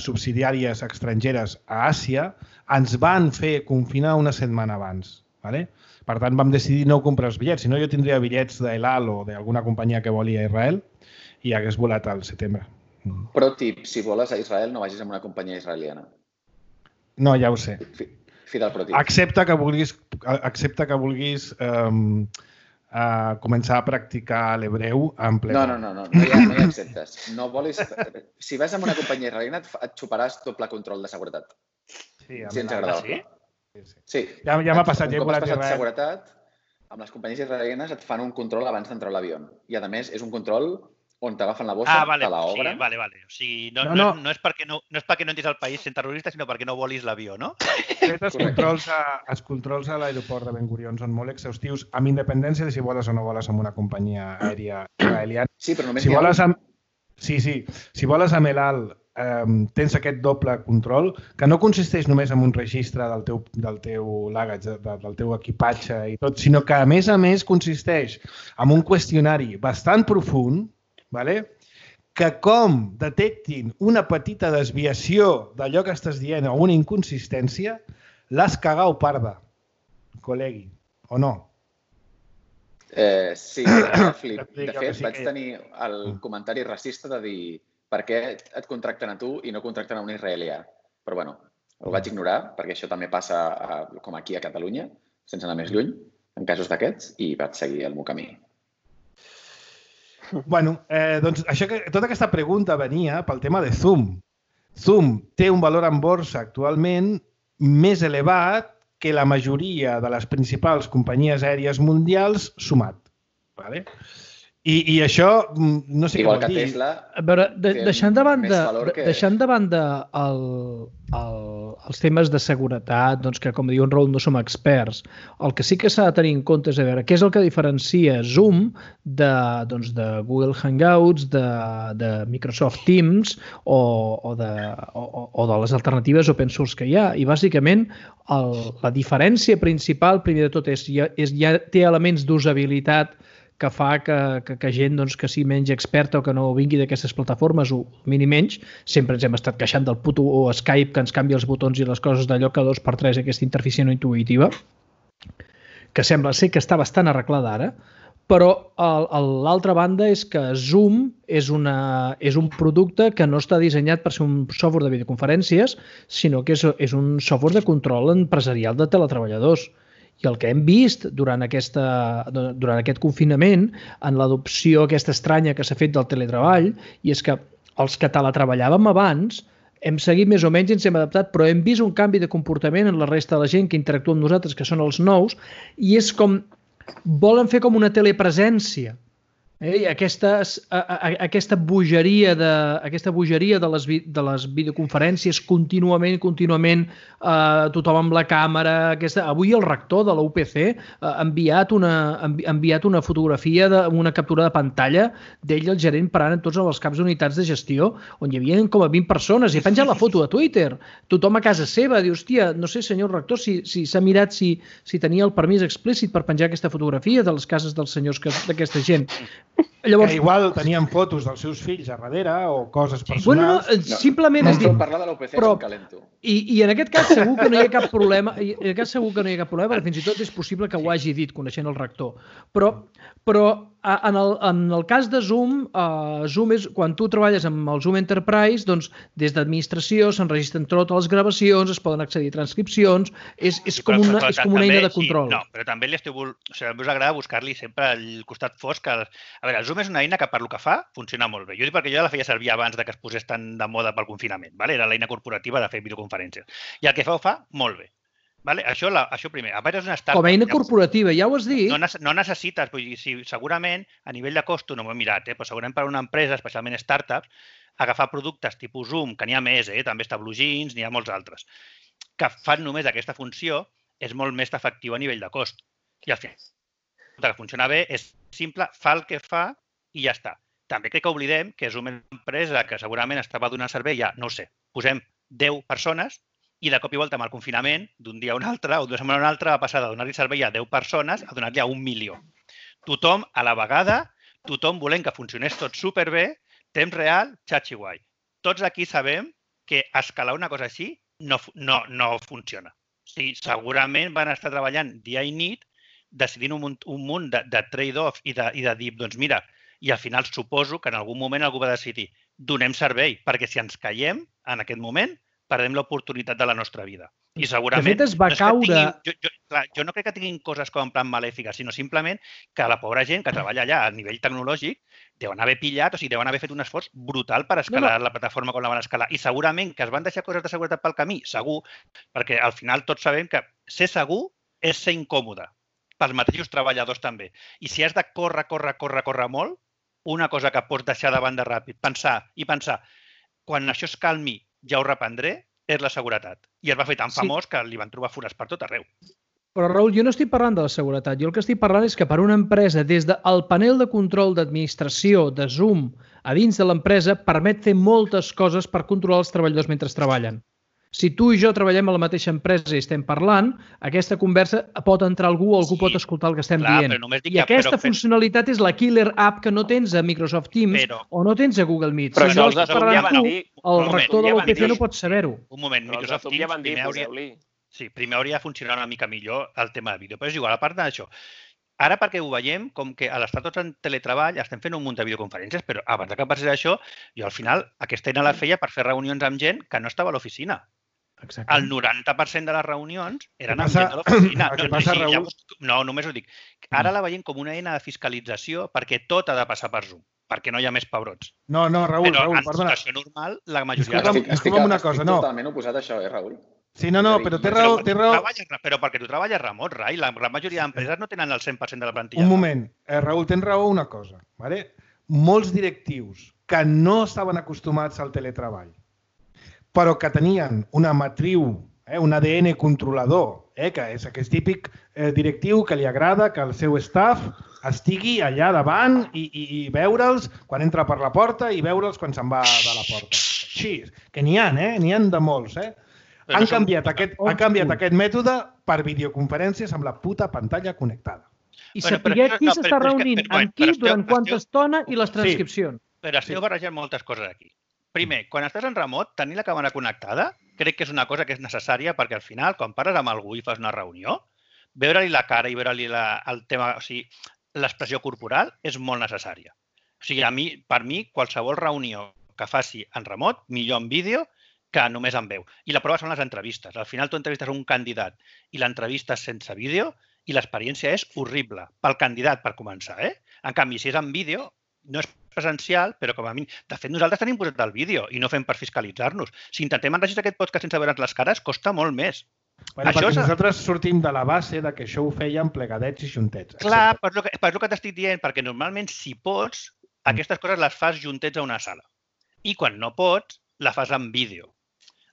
subsidiàries estrangeres a Àsia, ens van fer confinar una setmana abans. Per tant, vam decidir no comprar els bitllets. Si no, jo tindria bitllets d'El Al o d'alguna companyia que voli a Israel i hagués volat al setembre. Però, tip, si voles a Israel, no vagis amb una companyia israeliana. No, ja ho sé. Fidel pro tip. Excepte que vulguis començar a practicar l'hebreu en ple. No hi ha exceptes. No volis... Si vas amb una companyia israeliana et xuparàs doble control de seguretat. Sí, si ens agrada. Sí? Ja m'ha passat. Un cop has passat seguretat, amb les companyies israelianes et fan un control abans d'entrar a l'avió. I, a més, és un control on t'agafen la bossa, te l'obren. Vale. O sigui, no és perquè no entris al país sent terrorista, sinó perquè no volis l'avió, no? Els controls a l'aeroport de Ben Gurion són molt exhaustius, amb independència de si voles o no voles amb una companyia aèria israeliana. Sí, però només hi ha... Si voles amb El Al, tens aquest doble control, que no consisteix només en un registre del teu luggage, del teu equipatge i tot, sinó que, a més, consisteix en un qüestionari bastant profund, que com detectin una petita desviació d'allò que estàs dient o una inconsistència, l'has cagau parda, col·legui, o no? Sí, de fet, vaig tenir el comentari racista de dir per què et contracten a tu i no contracten a un israelià. Però, bueno, el vaig ignorar, perquè això també passa com aquí a Catalunya, sense anar més lluny, en casos d'aquests, i vaig seguir el meu camí. Bueno, doncs tota aquesta pregunta venia pel tema de Zoom. Zoom té un valor en borsa actualment més elevat que la majoria de les principals companyies aèries mundials sumat. I això, no sé igual què vol dir. Tesla, a veure, deixant de banda els temes de seguretat, doncs que, com diu en Raül, no som experts, el que sí que s'ha de tenir en compte és a veure què és el que diferencia Zoom de Google Hangouts, de Microsoft Teams o de les alternatives open source que hi ha. I, bàsicament, la diferència principal, primer de tot, ja té elements d'usabilitat que fa que gent que sigui menys experta o que no vingui d'aquestes plataformes o mini menys, sempre ens hem estat queixant del puto Skype que ens canvia els botons i les coses d'allò que 2x3 aquesta interfície no intuïtiva, que sembla ser que està bastant arreglada ara, però l'altra banda és que Zoom és un producte que no està dissenyat per ser un software de videoconferències, sinó que és un software de control empresarial de teletreballadors. I el que hem vist durant aquest confinament, en l'adopció aquesta estranya que s'ha fet del teletreball, i és que els que teletreballàvem abans hem seguit més o menys i ens hem adaptat, però hem vist un canvi de comportament en la resta de la gent que interactua amb nosaltres, que són els nous, i és com volen fer com una telepresència. I aquesta bogeria de les videoconferències contínuament, tothom amb la càmera. Avui el rector de la UPC ha enviat una fotografia, una captura de pantalla d'ell, el gerent, parant en tots els caps d'unitats de gestió, on hi havia com a 20 persones, i ha penjat la foto a Twitter. Tothom a casa seva diu, hòstia, no sé, senyor rector, si s'ha mirat si tenia el permís explícit per penjar aquesta fotografia de les cases dels senyors d'aquesta gent. Llavors, que igual tenien fotos dels seus fills a darrere o coses personals. Bueno, simplement és dir... parlar de l'UPC com calento. I en aquest cas segur que no hi ha cap problema, perquè fins i tot és possible que ho hagi dit, coneixent el rector. Però en el cas de Zoom, Zoom és, quan tu treballes amb el Zoom Enterprise, doncs des d'administració s'enregistren totes les gravacions, es poden accedir a transcripcions, és com una eina de control. No, però també us agrada buscar-li sempre el costat fosc. A veure, el Zoom és una eina que per lo que fa funciona molt bé. Jo dic perquè jo la feia servir abans que es posés tan de moda pel confinament. Era l'eina corporativa de fer videoconferències. I el que ho fa molt bé. Això primer. A part, és una startup. Com a eina corporativa, ja ho has dit. No necessites, segurament, a nivell de costo, no m'ho he mirat, però segurament per a una empresa, especialment startups, agafar productes tipus Zoom, que n'hi ha més, també està BlueJeans, n'hi ha molts altres, que fan només aquesta funció, és molt més efectiu a nivell de cost. I al final, el que funciona bé és simple, fa el que fa i ja està. També crec que oblidem que és una empresa que segurament estava donant servei a, no ho sé, posem 10 persones i de cop i volta amb el confinament, d'un dia a un altre o d'una setmana a una altra, va passar de donar-li servei a 10 persones a donar-li a 1 milió. Tothom a la vegada, tothom volent que funcionés tot superbé, temps real, xatxi guai. Tots aquí sabem que escalar una cosa així no funciona. Segurament van estar treballant dia i nit decidint un munt de trade-offs i de dir, doncs mira, i al final suposo que en algun moment algú va decidir donem servei, perquè si ens caiem en aquest moment, perdem l'oportunitat de la nostra vida. I segurament... De fet, es va caure... Jo no crec que tinguin coses com en plan malèfiques, sinó simplement que la pobra gent que treballa allà a nivell tecnològic deuen haver pillat, o sigui, deuen haver fet un esforç brutal per escalar la plataforma com la van escalar. I segurament que es van deixar coses de seguretat pel camí, segur, perquè al final tots sabem que ser segur és ser incòmode, pels mateixos treballadors també. I si has de córrer molt, una cosa que pots deixar de banda ràpid, pensar, quan això es calmi ja ho reprendré, és la seguretat. I es va fer tan famós que li van trobar forats per tot arreu. Però, Raül, jo no estic parlant de la seguretat. Jo el que estic parlant és que per una empresa, des del panel de control d'administració de Zoom a dins de l'empresa, permet fer moltes coses per controlar els treballadors mentre treballen. Si tu i jo treballem a la mateixa empresa i estem parlant, aquesta conversa pot entrar algú pot escoltar el que estem dient. I aquesta funcionalitat és la killer app que no tens a Microsoft Teams o no tens a Google Meet. Però això els ja van dir. El rector de l'UPC no pot saber-ho. Un moment, Microsoft Teams primer hauria de funcionar una mica millor el tema de vídeo, però és igual, a part d'això. Ara perquè ho veiem, com que a l'estar tots en teletreball estem fent un munt de videoconferències, però abans que passés això, jo al final aquesta eina la feia per fer reunions amb gent que no estava a l'oficina. El 90% de les reunions eren amb gent de l'oficina. Què passa, Raül? No, només ho dic. Ara la veiem com una eina de fiscalització perquè tot ha de passar per Zoom, perquè no hi ha més pebrots. No, Raül, però perdona. en situació normal, la majoria... Estic totalment oposat a això, Raül? Sí, no, però té raó. Però perquè tu treballes remot, Rai. La gran majoria d'empreses no tenen el 100% de la plantilla. Un moment. Raül, tens raó una cosa. Molts directius que no estaven acostumats al teletreball, però que tenien una matriu, un ADN controlador, que és aquest típic directiu que li agrada que el seu staff estigui allà davant i veure'ls quan entra per la porta i veure'ls quan se'n va de la porta. Així, que n'hi ha, n'hi ha de molts, Han canviat aquest mètode per videoconferències amb la puta pantalla connectada. I saber qui s'està reunint amb qui, durant quanta estona i les transcripcions. Però esteu barrejant moltes coses aquí. Primer, quan estàs en remot, tenir la càmera connectada crec que és una cosa que és necessària perquè al final, quan parles amb algú i fas una reunió, veure-li la cara i veure-li el tema, o sigui, l'expressió corporal és molt necessària. O sigui, per mi, qualsevol reunió que faci en remot, millor en vídeo que només en veu. I la prova són les entrevistes. Al final tu entrevistes un candidat i l'entrevista és sense vídeo i l'experiència és horrible. Pel candidat, per començar. En canvi, si és en vídeo, no és presencial, però com a mínim... De fet, nosaltres tenim posat el vídeo i no fem per fiscalitzar-nos. Si intentem enregistrar aquest podcast sense veure'ns les cares, costa molt més. Perquè nosaltres sortim de la base que això ho fèiem plegadets i juntets. Clar, per el que t'estic dient, perquè normalment, si pots, aquestes coses les fas juntets a una sala. I quan no pots, la fas en vídeo.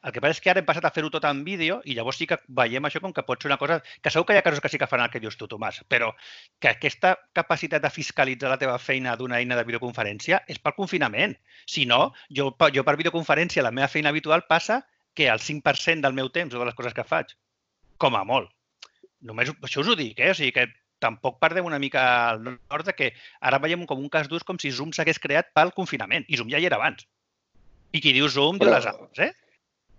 El que passa és que ara hem passat a fer-ho tot en vídeo i llavors sí que veiem això com que pot ser una cosa... Que segur que hi ha casos que sí que faran el que dius tu, Tomàs, però que aquesta capacitat de fiscalitzar la teva feina d'una eina de videoconferència és pel confinament. Si no, jo per videoconferència, la meva feina habitual passa que el 5% del meu temps o de les coses que faig, com a molt. Només això us ho dic, O sigui que tampoc perdem una mica el nord de que ara veiem com un cas d'ús com si Zoom s'hagués creat pel confinament. I Zoom ja hi era abans. I qui diu Zoom diu les altres,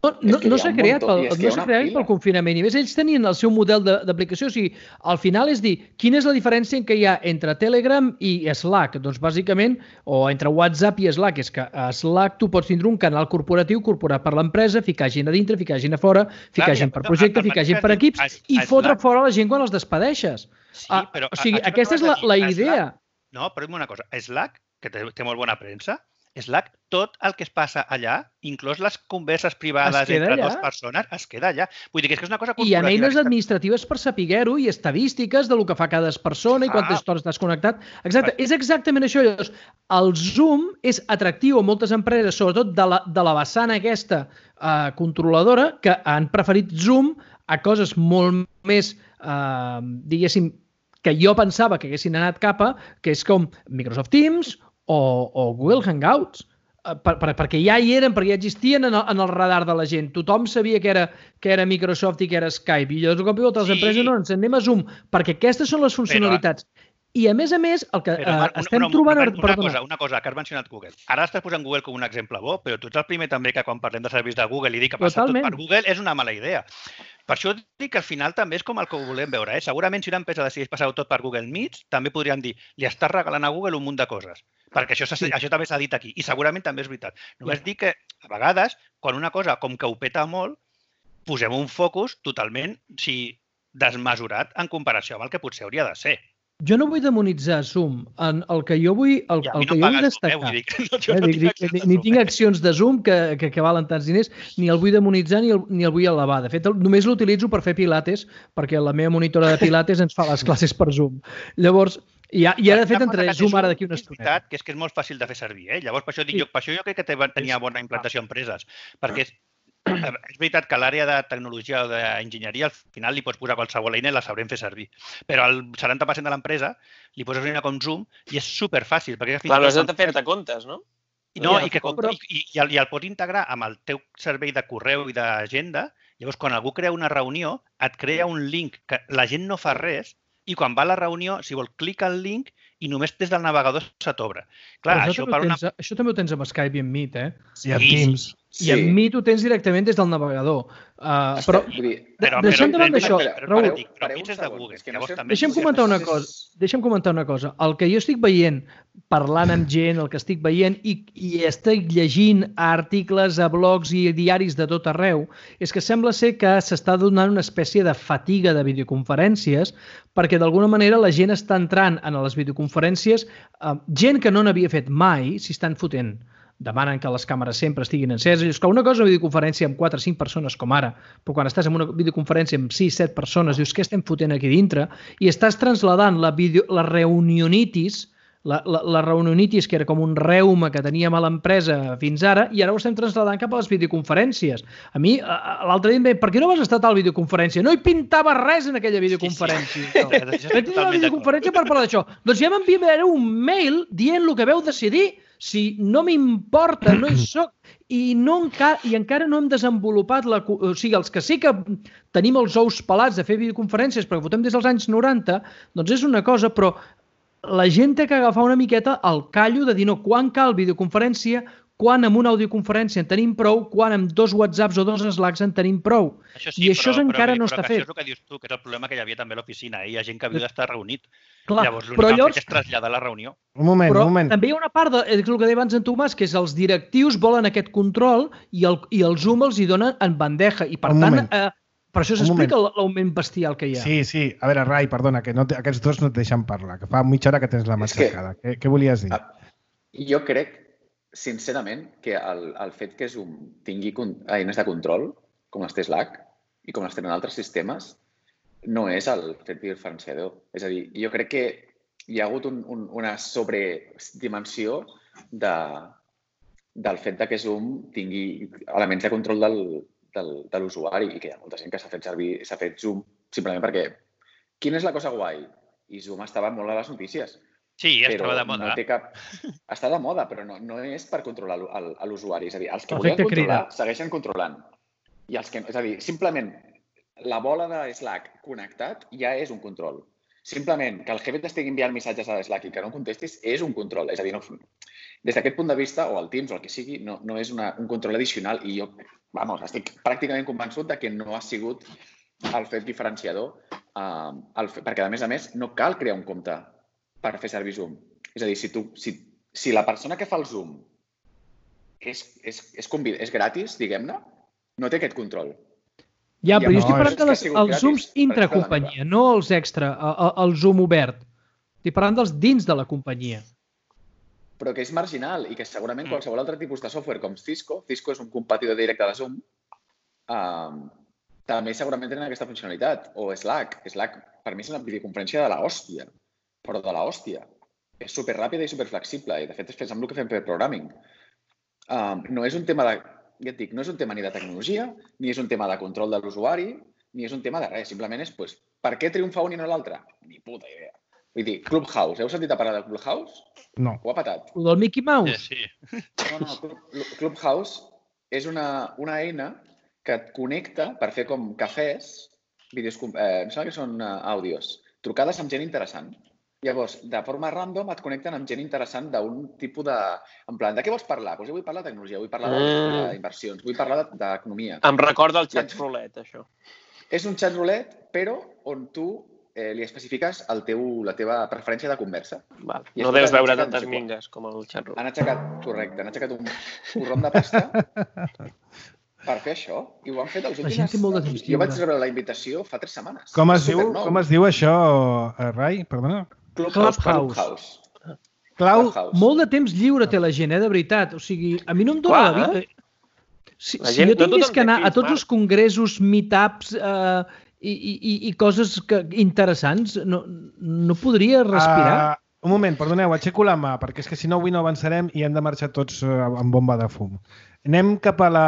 No s'ha creat pel confinament. I més, ells tenien el seu model d'aplicació. O sigui, al final és dir, quina és la diferència que hi ha entre Telegram i Slack? Doncs bàsicament, o entre WhatsApp i Slack, és que a Slack tu pots tindre un canal corporatiu corporat per l'empresa, ficar gent a dintre, ficar gent a fora, ficar gent per projecte, ficar gent per equips i fotre fora la gent quan els despedeixes. O sigui, aquesta és la idea. No, però una cosa. Slack, que té molt bona premsa, Slack, tot el que es passa allà, inclús les converses privades entre dues persones, es queda allà. Vull dir que és una cosa corporativa. I hi ha eines administratives per saber-ho i estadístiques del que fa cada persona i quantes estones estàs connectat. Exacte, és exactament això. El Zoom és atractiu a moltes empreses, sobretot de la vessant aquesta controladora, que han preferit Zoom a coses molt més, diguéssim, que jo pensava que haguessin anat cap a, que és com Microsoft Teams o Google Hangouts, perquè ja hi eren, perquè ja existien en el radar de la gent. Tothom sabia que era Microsoft i que era Skype. I llavors, de cop i volta, les empreses no, ens anem a Zoom, perquè aquestes són les funcionalitats. I, a més, el que estem trobant... Una cosa que has mencionat Google. Ara estàs posant Google com un exemple bo, però tu ets el primer també que quan parlem de serveis de Google i dic que passar tot per Google és una mala idea. Per això dic que al final també és com el que ho volem veure. Segurament si una empresa decideix passar-ho tot per Google Meets, també podríem dir, li estàs regalant a Google un munt de coses. Perquè això també s'ha dit aquí. I segurament també és veritat. Només dic que, a vegades, quan una cosa com que ho peta molt, posem un focus totalment desmesurat en comparació amb el que potser hauria de ser. Jo no vull demonitzar Zoom. El que jo vull destacar... Ni tinc accions de Zoom que valen tants diners, ni el vull demonitzar ni el vull elevar. De fet, només l'utilitzo per fer pilates, perquè la meva monitora de pilates ens fa les classes per Zoom. Llavors, i ara, de fet, entre Zoom ara d'aquí una estona. Que és que és molt fàcil de fer servir. Llavors, per això jo crec que tenia bona implantació a empreses, perquè és veritat que a l'àrea de tecnologia o d'enginyeria al final li pots posar qualsevol eina i la sabrem fer servir. Però al 70% de l'empresa li poses una eina com Zoom i és superfàcil. Clar, no has de fer-te comptes, no? No, i el pots integrar amb el teu servei de correu i d'agenda. Llavors, quan algú crea una reunió, et crea un link que la gent no fa res i quan va a la reunió, si vol, clica el link i només des del navegador se t'obre. Això també ho tens amb Skype i amb Meet, I amb Teams. I amb Meet ho tens directament des del navegador. Però deixem davant d'això, Raül, deixem comentar una cosa. El que jo estic veient, parlant amb gent, el que estic veient i estic llegint articles a blogs i diaris de tot arreu, és que sembla ser que s'està donant una espècie de fatiga de videoconferències perquè d'alguna manera la gent està entrant en les videoconferències, gent que no n'havia fet mai s'hi estan fotent demanen que les càmeres sempre estiguin enceses. És que una cosa és una videoconferència amb 4 o 5 persones, com ara, però quan estàs en una videoconferència amb 6 o 7 persones, dius, què estem fotent aquí dintre? I estàs trasladant la reunionitis, la reunionitis, que era com un reuma que teníem a l'empresa fins ara, i ara ho estem trasladant cap a les videoconferències. A mi, l'altre dia em deia, per què no vas estar a tal videoconferència? No hi pintava res en aquella videoconferència. Vaig dir una videoconferència per parlar d'això. Doncs ja m'enviaré un mail dient el que veu decidir. Si no m'importa, no hi soc, i encara no hem desenvolupat, o sigui, els que sí que tenim els ous pelats de fer videoconferències perquè votem des dels anys 90, doncs és una cosa, però la gent té que agafar una miqueta el callo de dir no, quan cal videoconferència, quan amb una audioconferència en tenim prou, quan amb 2 WhatsApps o 2 Slacks en tenim prou. I això encara no està fet. Això és el que dius tu, que és el problema que hi havia també a l'oficina. Hi ha gent que havia d'estar reunit. Llavors, l'únic que és traslladar la reunió. Un moment. També hi ha una part, és el que deia abans en Tomàs, que és els directius volen aquest control i el Zoom els hi donen en bandeja. I per tant, per això s'explica l'augment bestial que hi ha. Sí. A veure, Rai, perdona, que aquests dos no et deixen parlar, que fa mitja hora que tens la mà aixecada. Què volies dir? Jo crec, sincerament, que el fet que Zoom tingui eines de control, com les té Slack i com les tenen altres sistemes, no és el fet diferenciador. És a dir, jo crec que hi ha hagut una sobredimensió del fet que Zoom tingui elements de control de l'usuari i que hi ha molta gent que s'ha fet Zoom simplement perquè quina és la cosa guai? I Zoom estava molt a les notícies. Sí, estava de moda. Està de moda, però no és per controlar l'usuari. És a dir, els que volien controlar segueixen controlant. És a dir, simplement la bola de Slack connectat ja és un control. Simplement que el jefe t'estigui enviant missatges a Slack i que no contestis és un control. És a dir, des d'aquest punt de vista, o el Teams o el que sigui, no és un control addicional i jo, estic pràcticament convençut que no ha sigut el fet diferenciador perquè, a més, no cal crear un compte per fer servir Zoom. És a dir, si la persona que fa el Zoom és gratis, diguem-ne, no té aquest control. Ja, però jo estic parlant dels Zooms intracompanyia, no els extra, el Zoom obert. Estic parlant dels dins de la companyia. Però que és marginal i que segurament qualsevol altre tipus de software com Cisco és un competidor directe de Zoom, també segurament tenen aquesta funcionalitat. O Slack. Slack, per mi, és una videoconferència de l'hòstia, però de l'hòstia. És superràpida i superflexible i, de fet, és fent amb el que fem per programming. No és un tema de... Ja et dic, no és un tema ni de tecnologia, ni és un tema de control de l'usuari, ni és un tema de res. Simplement és, per què triomfa un i no l'altre? Ni puta idea. Vull dir, Clubhouse. Heu sentit a parlar de Clubhouse? No. Ho ha patat. El del Mickey Mouse? Sí. No. Clubhouse és una eina que et connecta per fer com cafès, em sembla que són àudios, trucades amb gent interessant. Llavors, de forma random et connecten amb gent interessant d'un tipus de... En plan, de què vols parlar? Doncs jo vull parlar de tecnologia, vull parlar d'inversions, vull parlar d'economia. Em recorda el xat roulette, això. És un xat roulette, però on tu li especifiques la teva preferència de conversa. No deus veure tantes mingues com el xat roulette. Han aixecat un porrón de pasta per fer això i ho han fet els últims... Jo vaig rebre la invitació fa 3 setmanes. Com es diu això, Rai? Perdona. Clubhouse. Clau, molt de temps lliure té la gent, de veritat. O sigui, a mi no em dóna la vida. Si jo tingués que anar a tots els congressos, meetups i coses interessants, no podria respirar. Un moment, perdoneu, aixeco la mà, perquè és que si no avui no avançarem i hem de marxar tots amb bomba de fum. Anem cap a la...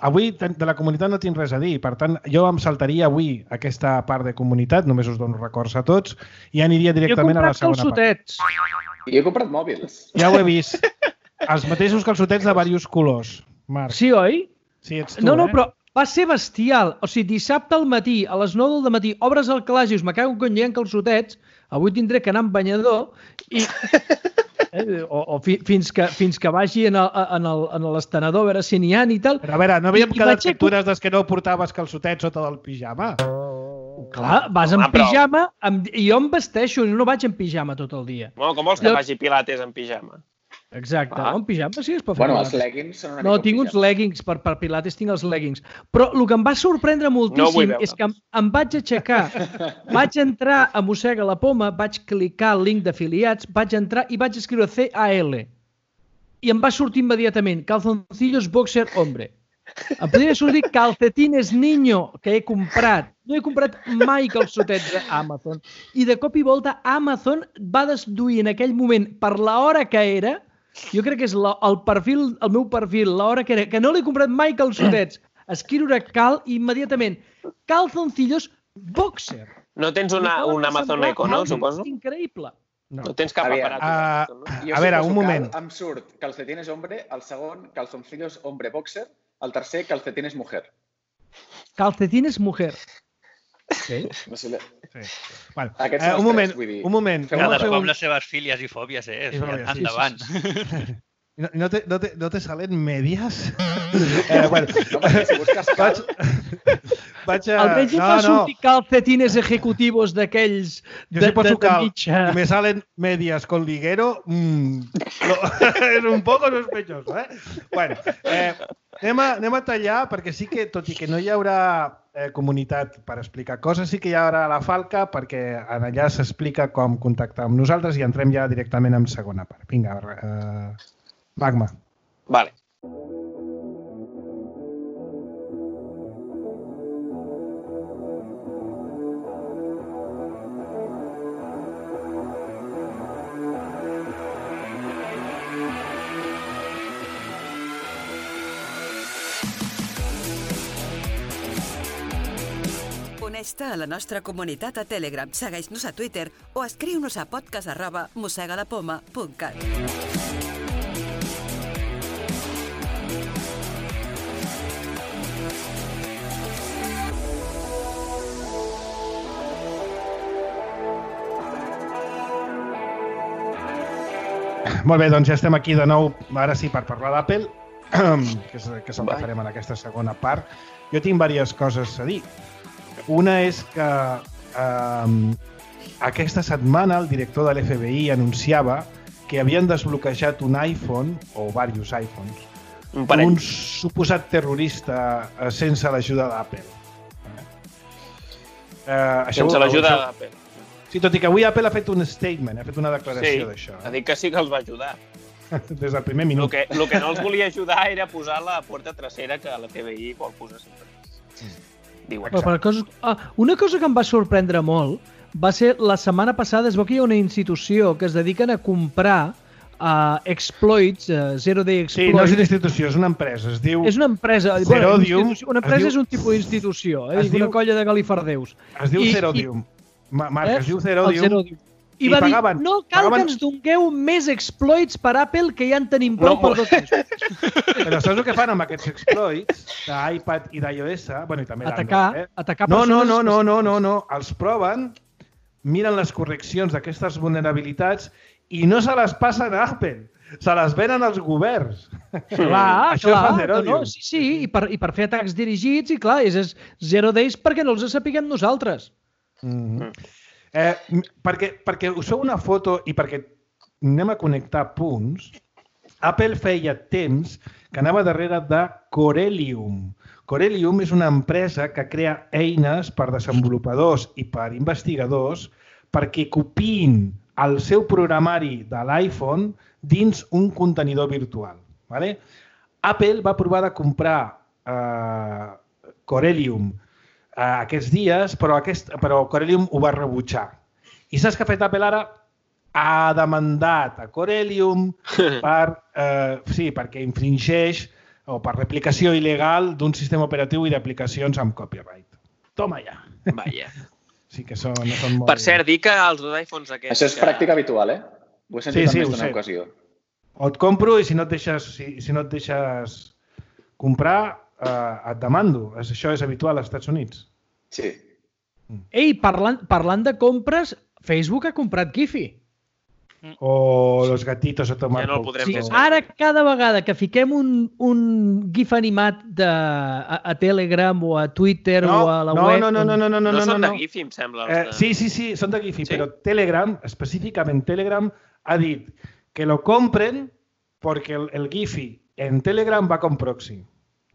Avui de la comunitat no tinc res a dir, per tant, jo em saltaria avui aquesta part de comunitat, només us dono records a tots, i aniria directament a la segona part. Jo he comprat mòbils. Ja ho he vist. Els mateixos calçotets de diversos colors, Marc. Sí, oi? Sí, ets tu, No, però va ser bestial. O sigui, dissabte al matí, a les 9 del matí, obres el calaix i us me cago en hi ha calçotets, avui tindré que anar amb banyador i... O fins que vagi en l'estenedor a veure si n'hi ha i tal. Però a veure, no havíem quedat factures des que no portaves calçotets sota del pijama? Clar, vas en pijama i jo em vesteixo, no vaig en pijama tot el dia. Com vols que faci pilates en pijama? Exacte, en pijama sí es pot fer. Bueno, els leggings són una mica... No, tinc uns leggings, per pilates tinc els leggings. Però el que em va sorprendre moltíssim és que em vaig aixecar, vaig entrar a Mossega la Poma, vaig clicar el link d'afiliats, vaig entrar i vaig escriure CAL. i em va sortir immediatament calzoncillos boxer hombre. Em podria sortir calcetines niño que he comprat. No he comprat mai calçotets a Amazon. I de cop i volta Amazon va deduir en aquell moment, per l'hora que era, jo crec que és el meu perfil, l'hora que era, que no l'he comprat mai calçotets, escriure cal i immediatament calzoncillos boxer. No tens un Amazon Echo, no? Suposo? Increïble. No tens cap aparat. Jo a veure, un moment. Em surt calcetines hombre, el segon calzoncillos hombre boxer, el tercer calcetines mujer. Calcetines mujer. Sí. No sé, Sí. Bueno, aquests són un els tres, vull dir. moment. Cadascú amb les seves fílies i fòbies, endavant. No te salen medias? Bueno, no, perquè si busques cal... Almenys em va sortir calcetines ejecutivos d'aquells de cal mitja. Y me salen medias con liguero. És un poco sospechoso, eh? Bueno, anem a tallar, perquè sí que, tot i que no hi haurà comunitat per explicar coses, sí que hi haurà la Falca, perquè allà s'explica com contactar amb nosaltres i entrem ja directament en segona part. Vinga, Magma. Vale. Uneix-te a la nostra comunitat a Telegram, segueix-nos a Twitter o escriu-nos a podcast@mossegalapoma.cat. Molt bé, doncs ja estem aquí de nou, ara sí, per parlar d'Apple, que és el que farem en aquesta segona part. Jo tinc diverses coses a dir. Una és que aquesta setmana el director de l'FBI anunciava que havien desbloquejat un iPhone, o diversos iPhones, un suposat terrorista sense l'ajuda d'Apple. Sense l'ajuda d'Apple. Sí, tot i que avui Apple ha fet un statement, ha fet una declaració d'això. Sí, ha dit que sí que els va ajudar. Des del primer minut. El que no els volia ajudar era posar la porta trasera que l'FBI vol posar sempre. Una cosa que em va sorprendre molt va ser la setmana passada, es veu que hi ha una institució que es dediquen a comprar exploits, Zero Day Exploits. Sí, no és una institució, és una empresa. Es diu... És una empresa. Zerodium. Una empresa és un tipus d'institució, una colla de galifardeus. Es diu Zerodium. Marc, es diu Zerodium. I va dir, no cal que ens dongueu més exploits per Apple, que ja en tenim prou per 2 mesos. Però saps el que fan amb aquests exploits d'iPad i d'iOS? Bueno, i també d'Android. Atacar persones... No. Els proven, miren les correccions d'aquestes vulnerabilitats i no se les passen a Apple. Se les venen als governs. Clar. Sí, i per fer atacs dirigits, i clar, és Zero Days perquè no els sapiguem nosaltres. Perquè us feu una foto i perquè anem a connectar punts, Apple feia temps que anava darrere de Corellium. Corellium és una empresa que crea eines per desenvolupadors i per investigadors perquè copiïn el seu programari de l'iPhone dins un contenidor virtual. Apple va provar de comprar Corellium aquests dies, però Corellium ho va rebutjar. I saps què ha fet Apple ara? Ha demandat a Corellium perquè infringeix o per replicació il·legal d'un sistema operatiu i d'aplicacions amb copyright. Toma ja. Vaja. Sí que no són molt... Per cert, dir que els dos iPhones aquests... Això és pràctica habitual, eh? Ho he sentit en més d'una ocasió. O et compro i si no et deixes comprar, et demando. Això és habitual als Estats Units. Sí. Ei, parlant de compres, Facebook ha comprat Giphy. O los gatitos a tomar... Ja no el podrem fer. Ara, cada vegada que fiquem un GIF animat a Telegram o a Twitter o a la web... No són de Giphy, em sembla. Sí, són de Giphy, però Telegram, específicament Telegram, ha dit que lo compren perquè el Giphy en Telegram va con proxy.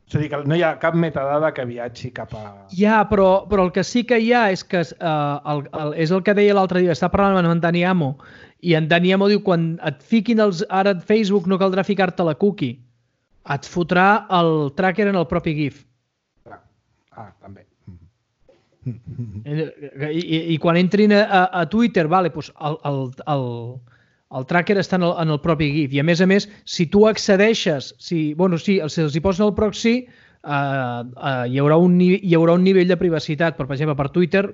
És a dir, que no hi ha cap metadada que viatgi cap a... Ja, però el que sí que hi ha és que és el que deia l'altre dia, està parlant amb en Dani Amo, i en Dani Amo diu, quan et fiquin ara a Facebook no caldrà ficar-te la cookie, et fotrà el tracker en el propi GIF. També. I quan entrin a Twitter, vale, doncs el tracker està en el propi GIF. I a més, si tu accedeixes, si els hi posen el proxy, hi haurà un nivell de privacitat. Per exemple, per Twitter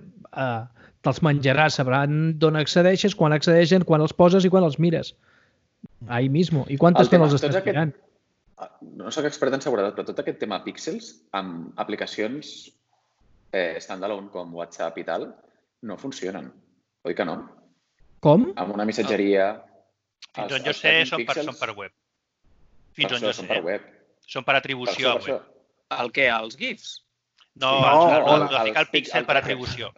te'ls menjaràs, sabran d'on accedeixes, quan accedeixen, quan els poses i quan els mires. Ahí mismo. I quanta estona els estàs mirant? No soc expert en seguretat, però tot aquest tema píxels amb aplicacions standalone com WhatsApp i tal no funcionen. Oi que no? Com? Amb una missatgeria... Fins on jo sé, són per web. Fins on jo sé. Són per atribució a web. El què? Els GIFs? No, ficar el píxel per atribució.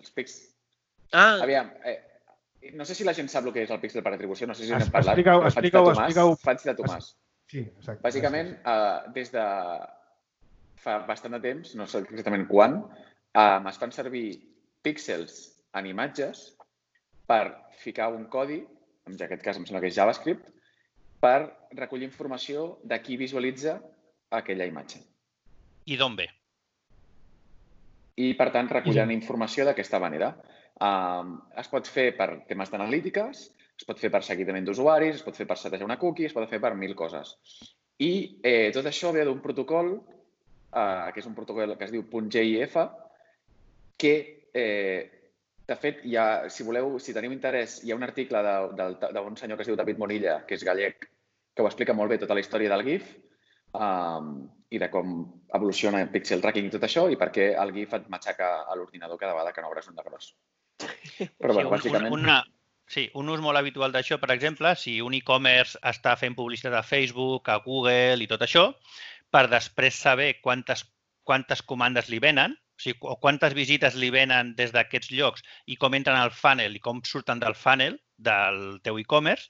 Aviam, no sé si la gent sap el que és el píxel per atribució, no sé si n'hem parlat. Explica-ho. Faig de Tomàs. Sí, exacte. Bàsicament, des de fa bastant de temps, no sé exactament quan, es fan servir píxels en imatges per ficar un codi, en aquest cas em sembla que és JavaScript, per recollir informació de qui visualitza aquella imatge. I d'on ve? I, per tant, recollen informació d'aquesta manera. Es pot fer per temes d'analítiques, es pot fer per seguiment d'usuaris, es pot fer per setejar una cookie, es pot fer per 1000 coses. I tot això ve d'un protocol, que és un protocol que es diu .gif, que de fet, si voleu, si teniu interès, hi ha un article d'un senyor que es diu David Morilla, que és gallec, que ho explica molt bé tota la història del GIF i de com evoluciona el pixel tracking i tot això i per què el GIF et matxaca a l'ordinador cada vegada que no obres un de gros. Però, bueno, bàsicament... Sí, un ús molt habitual d'això, per exemple, si un e-commerce està fent publicitat a Facebook, a Google i tot això, per després saber quantes comandes li venen, o quantes visites li venen des d'aquests llocs i com entren al funnel i com surten del funnel del teu e-commerce,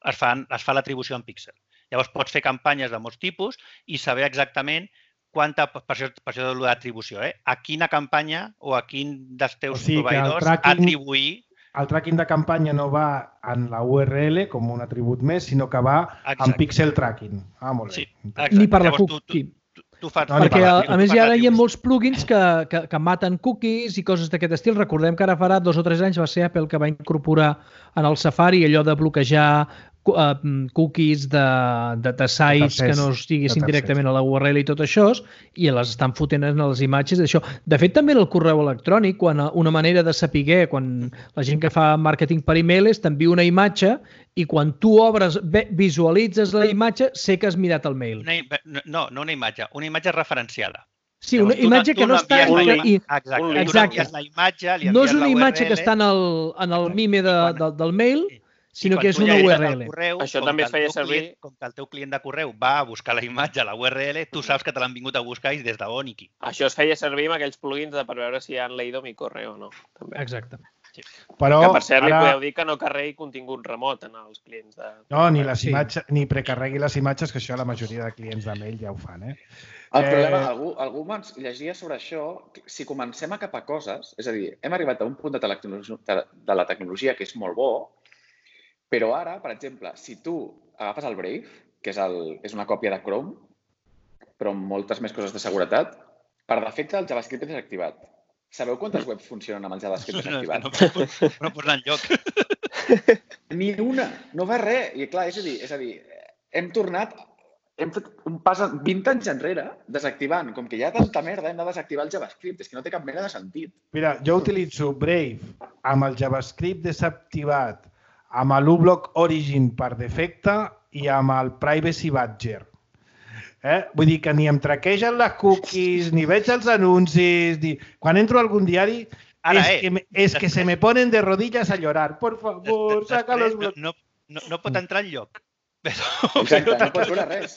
es fa l'atribució en píxel. Llavors pots fer campanyes de molts tipus i saber exactament per això de l'atribució, a quina campanya o a quin dels teus proveïdors atribuir. El tracking de campanya no va en la URL com un atribut més, sinó que va en pixel tracking. Molt bé. Ni per la cookie. Perquè, a més, ara hi ha molts plugins que maten cookies i coses d'aquest estil. Recordem que ara farà 2 o 3 anys va ser Apple que va incorporar en el Safari allò de bloquejar cookies de sites que no estiguessin directament a la URL i tot això, i les estan fotent en les imatges d'això. De fet, també en el correu electrònic, quan una manera de saber, quan la gent que fa màrqueting per e-mail és t'envia una imatge i quan tu obres, visualitzes la imatge, sé que has mirat el mail. No una imatge, una imatge referenciada. Sí, una imatge que no està... Exacte. No és una imatge que està en el mime del mail, sinó que és una URL. Això també es feia servir... Com que el teu client de correu va a buscar la imatge a la URL, tu saps que te l'han vingut a buscar i des d'on i qui. Això es feia servir amb aquells plugins per veure si han leído mi correo o no. Exacte. Però que, per cert, li podeu dir que no carregui contingut remot en els clients de... No, ni precarregui les imatges, que això la majoria de clients de mail ja ho fan, El problema, algú llegia sobre això, si comencem a capar coses, és a dir, hem arribat a un punt de la tecnologia que és molt bo, però ara, per exemple, si tu agafes el Brave, que és una còpia de Chrome, però amb moltes més coses de seguretat, per defecte el JavaScript és desactivat. Sabeu quantes webs funcionen amb el JavaScript desactivat? No posa enlloc. Ni una, no va res. I clar, és a dir, hem fet un pas 20 anys enrere desactivant. Com que hi ha tanta merda, hem de desactivar el JavaScript. És que no té cap mena de sentit. Mira, jo utilitzo Brave amb el JavaScript desactivat, amb l'uBlock Origin per defecte i amb el Privacy Badger. Vull dir que ni em traquegen les cookies, ni veig els anuncis... Quan entro a algun diari es que se me ponen de rodillas a llorar. Por favor, saca los blocs. No pot entrar enlloc. Exacte, no pot veure res.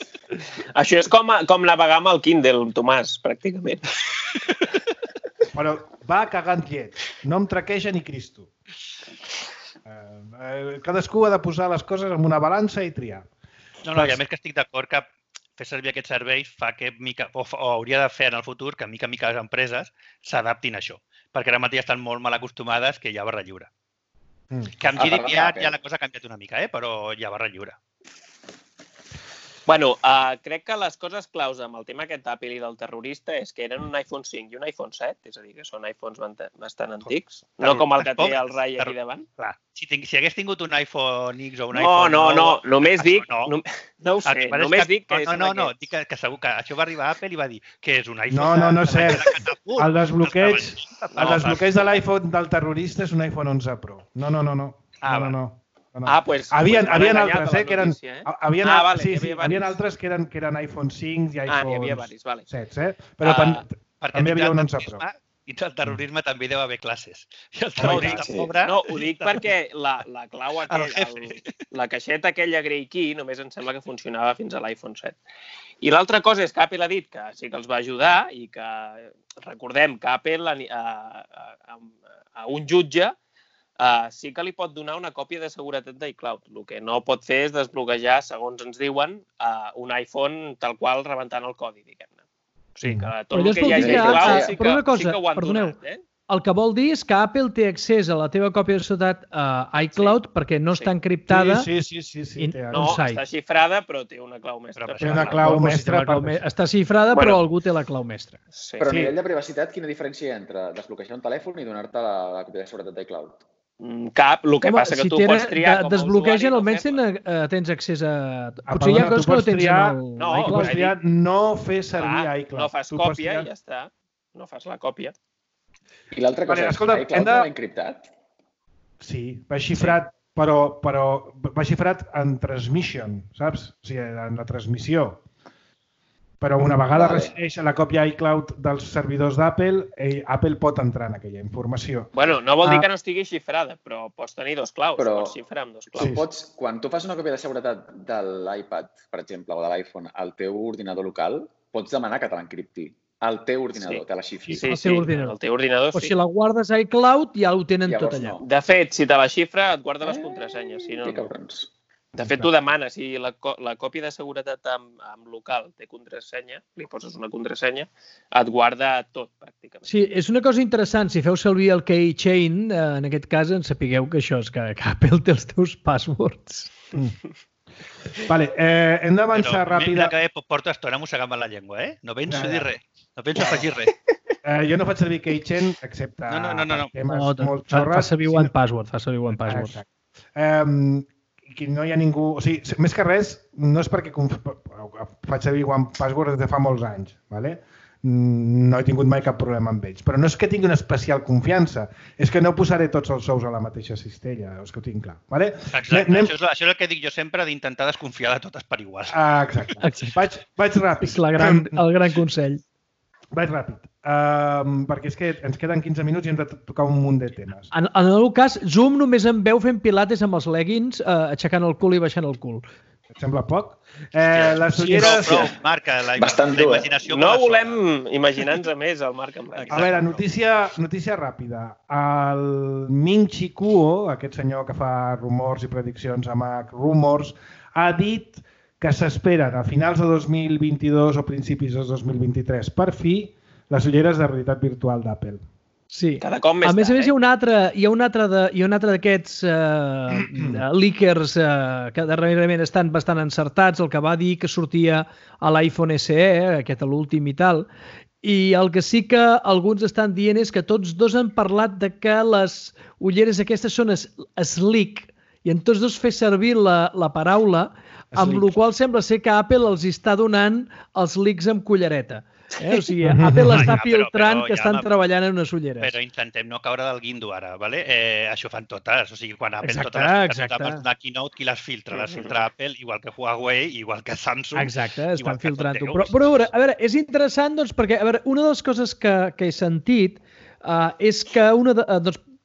Això és com navegar amb el Kindle, Tomàs, pràcticament. Però va cagant llet. No em traqueja ni Cristo. Cadascú ha de posar les coses en una balança i triar. No, i a més que estic d'acord que fer servir aquests serveis fa que, o hauria de fer en el futur, que mica en mica les empreses s'adaptin a això. Perquè ara mateix estan molt mal acostumades que hi ha barra lliure. Que amb GDPR ja la cosa ha canviat una mica, però hi ha barra lliure. Bueno, crec que les coses claus amb el tema aquest d'Apple i del terrorista és que eren un iPhone 5 i un iPhone 7, és a dir, que són iPhones bastant antics, no com el que té el Rai aquí davant. Clar, si hagués tingut un iPhone X o un iPhone... No, només dic... No ho sé, només dic que és un No, dic que segur que això va arribar a Apple i va dir que és un iPhone... No és cert. El desbloqueig de l'iPhone del terrorista és un iPhone 11 Pro. No. Pues... Havien altres, que eren... Havien altres que eren iPhone 5 i iPhone 7, però també hi havia un 11 Pro. I del terrorisme també hi deu haver classes. No, ho dic perquè la clau la caixeta aquella Grey Key només em sembla que funcionava fins a l'iPhone 7. I l'altra cosa és que Apple ha dit que sí que els va ajudar i que recordem que Apple a un jutge sí que li pot donar una còpia de seguretat d'iCloud. El que no pot fer és desbloquejar, segons ens diuen, un iPhone tal qual rebentant el codi, diguem-ne. O sigui que tot el que hi hagi d'iCloud sí que ho han donat. El que vol dir és que Apple té accés a la teva còpia de seguretat iCloud perquè no està encriptada. Sí. No, està xifrada, però té una clau mestra. Té una clau mestra. Està xifrada, però algú té la clau mestra. Però a nivell de privacitat, quina diferència hi ha entre desbloquejar un telèfon i donar-te la còpia de seguretat d'iCloud? Cap, el que passa que tu pots triar com a desbloquegen, almenys tens accés a... Potser hi ha coses que no tens en el... Tu pots triar no fer servir iCloud. No fas còpia i ja està. No fas la còpia. I l'altra cosa és que iCloud no va encriptat? Sí, va xifrat, però va xifrat en transmission, saps? O sigui, en la transmissió. Però una vegada resideix la còpia iCloud dels servidors d'Apple, Apple pot entrar en aquella informació. Bueno, no vol dir que no estigui xifrada, però pots tenir dos claus, pots xifrar amb dos claus. Quan tu fas una còpia de seguretat de l'iPad, per exemple, o de l'iPhone, al teu ordinador local, pots demanar que te l'encripti. El teu ordinador, te la xifri. Sí, el teu ordinador sí. O si la guardes a iCloud, ja ho tenen tot allà. De fet, si te la xifra, et guarda les contrasenyes. De fet, tu demanes, si la còpia de seguretat amb local té contrasenya, li poses una contrasenya, et guarda tot, pràcticament. Sí, és una cosa interessant. Si feu servir el keychain, en aquest cas, en sapigueu que això és que Apple té els teus passwords. Vale, hem d'avançar ràpid. Mira que porto estona mossegant la llengua, No penso dir res. No penso afegir res. Jo no faig servir keychain, excepte No. molt xorres. Fa servir OnePassword. Que no hi ha ningú... O sigui, més que res, no és perquè faig servir OnePassword des de fa molts anys, ¿vale? No he tingut mai cap problema amb ells. Però no és que tingui una especial confiança, és que no posaré tots els ous a la mateixa cistella, és que ho tinc clar. ¿Vale? Exacte, això és el que dic jo sempre, d'intentar desconfiar de totes per igual. Exacte. Vaig ràpid. És el gran consell. Vaig ràpid, perquè és que ens queden 15 minuts i hem de tocar un munt de temes. En el meu cas, Zoom només em veu fent pilates amb els leggings, aixecant el cul i baixant el cul. Et sembla poc? Les ulleres... Prou, Marc, la imaginació... No volem imaginar-nos a més el Marc amb leggings. A veure, notícia ràpida. El Ming Chi Kuo, aquest senyor que fa rumors i prediccions a Mac Rumors, ha dit que s'esperen a finals de 2022 o principis de 2023 per fi les ulleres de realitat virtual d'Apple. Sí. Cada cop més a més, hi ha un altre d'aquests leakers que darrerament estan bastant encertats, el que va dir que sortia a l'iPhone SE, aquest a l'últim i tal, i el que sí que alguns estan dient és que tots dos han parlat de que les ulleres aquestes són sleek, i en tots dos fer servir la paraula, amb la qual sembla ser que Apple els està donant els leaks amb cullereta. O sigui, Apple està filtrant que estan treballant en unes ulleres. Però intentem no caure del guindo ara, ¿vale? Això fan totes. O sigui, quan Apple totes les una keynote, qui les filtra? Les filtra Apple, igual que Huawei, igual que Samsung. Exacte, estan filtrant-ho. Però a veure, és interessant, doncs, perquè una de les coses que he sentit és que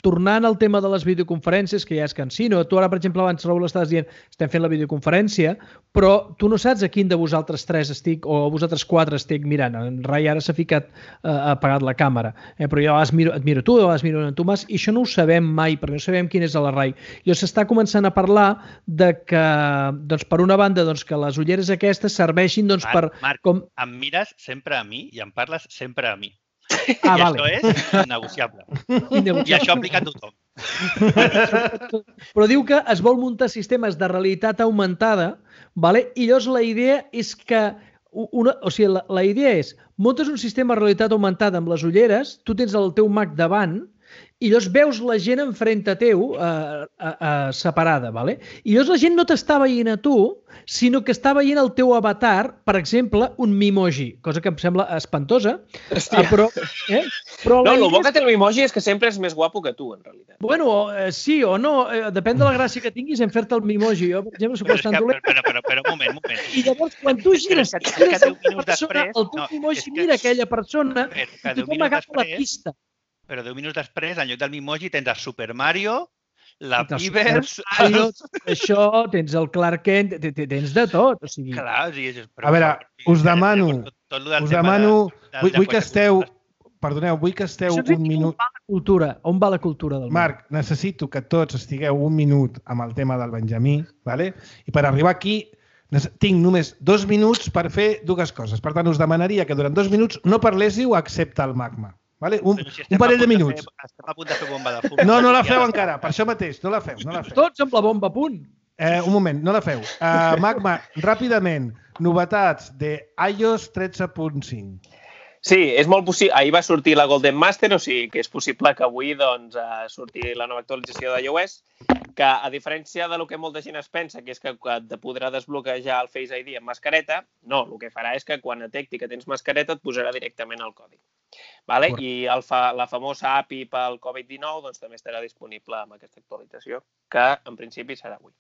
tornant al tema de les videoconferències, que ja és cansino, tu ara, per exemple, abans, Raül, estaves dient estem fent la videoconferència, però tu no saps a quin de vosaltres 3 estic, o a vosaltres 4 estic mirant. En Rai ara s'ha ficat, ha apagat la càmera, però jo et miro tu, et miro en Tomàs, i això no ho sabem mai, perquè no sabem quin és la Rai. I s'està començant a parlar de que, doncs, per una banda, doncs, que les ulleres aquestes serveixin doncs, per... Marc, em mires sempre a mi i em parles sempre a mi. Ah, I vale. això és innegociable. I això aplica a tothom. Però diu que es vol muntar sistemes de realitat augmentada, vale? I llavors la idea és que la idea és muntes un sistema de realitat augmentada amb les ulleres, tu tens el teu Mac davant i llavors veus la gent enfront a teu separada, vale? I llavors la gent no t'està veient a tu, sinó que està veient el teu avatar, per exemple, un Mimoji, cosa que em sembla espantosa. Però no, el bo que té el Mimoji és que sempre és més guapo que tu, en realitat. Bueno, sí o no, depèn de la gràcia que tinguis en fer-te el Mimoji. Jo, per exemple, soc bastant dolent. Però un moment. I llavors, quan tu gires el teu Mimoji mira aquella persona i tothom agafa la pista. Però 10 minuts després, en lloc del Mimoji, tens el Super Mario, la Pibers... Això, tens el Clark Kent, tens de tot. Clar, a veure, us demano, vull que esteu... Perdoneu, vull que esteu un minut... On va la cultura del món? Marc, necessito que tots estigueu un minut amb el tema del Benjamí, ¿vale? I per arribar aquí tinc només 2 minuts per fer 2 coses. Per tant, us demanaria que durant 2 minuts no parléssiu excepte el Magma. Vale? Un parell de minuts. Estem a punt de fer bomba de fum. No la feu encara, per això mateix, no la feu. Tots amb la bomba a punt. Un moment, no la feu. Magma, ràpidament, novetats de iOS 13.5. Sí, és molt possible. Ahir va sortir la Golden Master, o sigui que és possible que avui doncs, surti la nova actualització d'iOS, que a diferència del que molta gent es pensa, que és que et podrà desbloquejar el Face ID amb mascareta, no, el que farà és que quan detecti que tens mascareta et posarà directament el codi. Vale? I la famosa API pel Covid-19 doncs, també estarà disponible amb aquesta actualització, que en principi serà avui.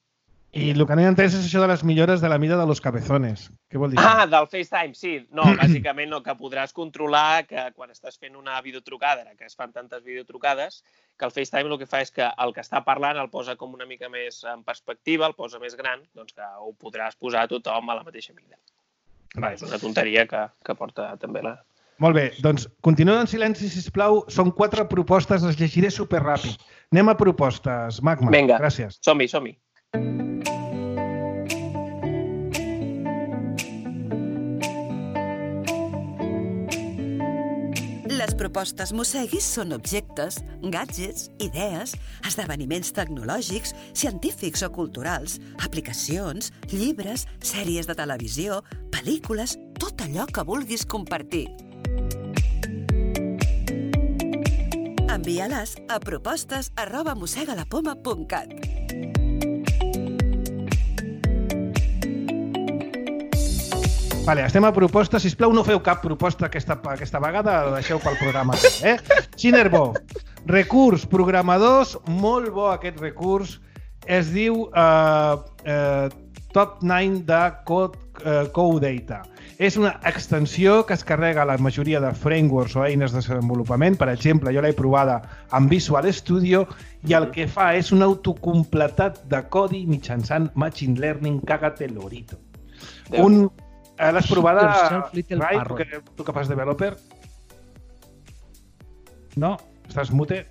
I el que no he entès és això de les millores de la mida de los cabezones. Què vol dir? Del FaceTime, sí. No, bàsicament no, que podràs controlar que quan estàs fent una videotrucada, que es fan tantes videotrucades, que el FaceTime el que fa és que el que està parlant el posa com una mica més en perspectiva, el posa més gran, doncs que ho podràs posar a tothom a la mateixa mida. És una tonteria que porta també la... Molt bé, doncs continueu en silenci, sisplau. Són 4 propostes, les llegiré superràpid. Anem a propostes. Magma, vinga, gràcies. Som-hi. Les propostes Mosseguis són objectes, gadgets, idees, esdeveniments tecnològics, científics o culturals, aplicacions, llibres, sèries de televisió, pel·lícules, tot allò que vulguis compartir. Envia-les a propostes@mossegalapoma.cat. Vale, estem a propostes. Sisplau, no feu cap proposta aquesta vegada, la deixeu pel programa. Xinerbo, recurs, programadors, molt bo aquest recurs. Es diu Top 9 de CodeData. És una extensió que es carrega a la majoria de frameworks o eines de desenvolupament. Per exemple, jo l'he provada amb Visual Studio i el que fa és un autocompletat de codi mitjançant Machine Learning. Cágate lorito. L'has provada, Rai, tu que fas developer? No? Estàs mute?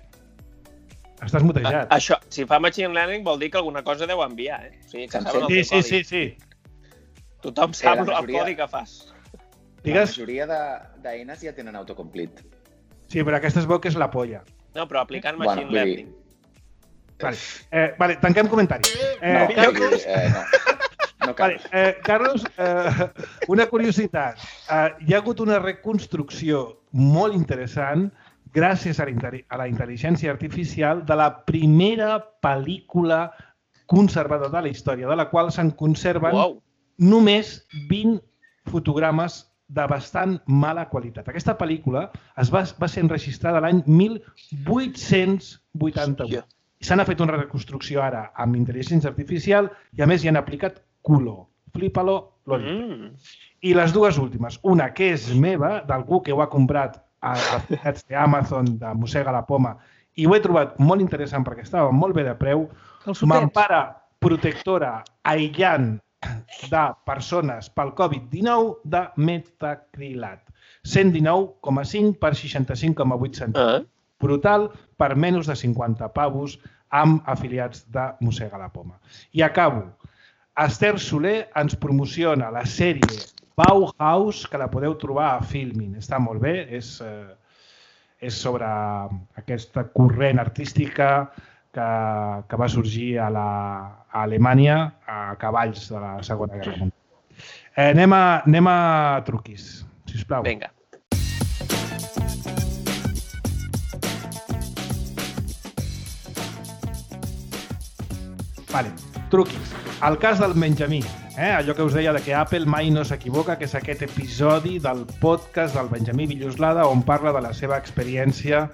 Estàs mutejat. Això, si fa Machine Learning vol dir que alguna cosa deu enviar, O sigui, que saben el teu codi. Sí. Tothom sap el codi que fas. La majoria d'eines ja tenen autocomplete. Sí, però aquesta es veu que és la polla. No, però aplicant Machine Learning. Vale, tanquem comentari. No cal. Carlos, una curiositat. Hi ha hagut una reconstrucció molt interessant gràcies a la intel·ligència artificial de la primera pel·lícula conservada de la història, de la qual se'n conserven només 20 fotogrames de bastant mala qualitat. Aquesta pel·lícula va ser enregistrada l'any 1888. Se n'ha fet una reconstrucció ara amb intel·ligència artificial i a més hi han aplicat culo. Flipalo, lorito. I les 2 últimes. Una que és meva, d'algú que ho ha comprat a les d'Amazon, de Mossega la Poma, i ho he trobat molt interessant perquè estava molt bé de preu. Mampara protectora aïllant de persones pel Covid-19 de metacrilat. 119,5 per 65,8 centímetres. Brutal, per menys de 50 pavos amb afiliats de Mossega la Poma. I acabo. Esther Soler ens promociona la sèrie Bauhaus, que la podeu trobar a Filmin. Està molt bé, és sobre aquesta corrent artística que va sorgir a Alemanya a cavalls de la Segona Guerra Mundial. Anem a truquis, sisplau. Vinga. Vale, truquis. El cas del Benjamí, allò que us deia que Apple mai no s'equivoca, que és aquest episodi del podcast del Benjamí Villoslada on parla de la seva experiència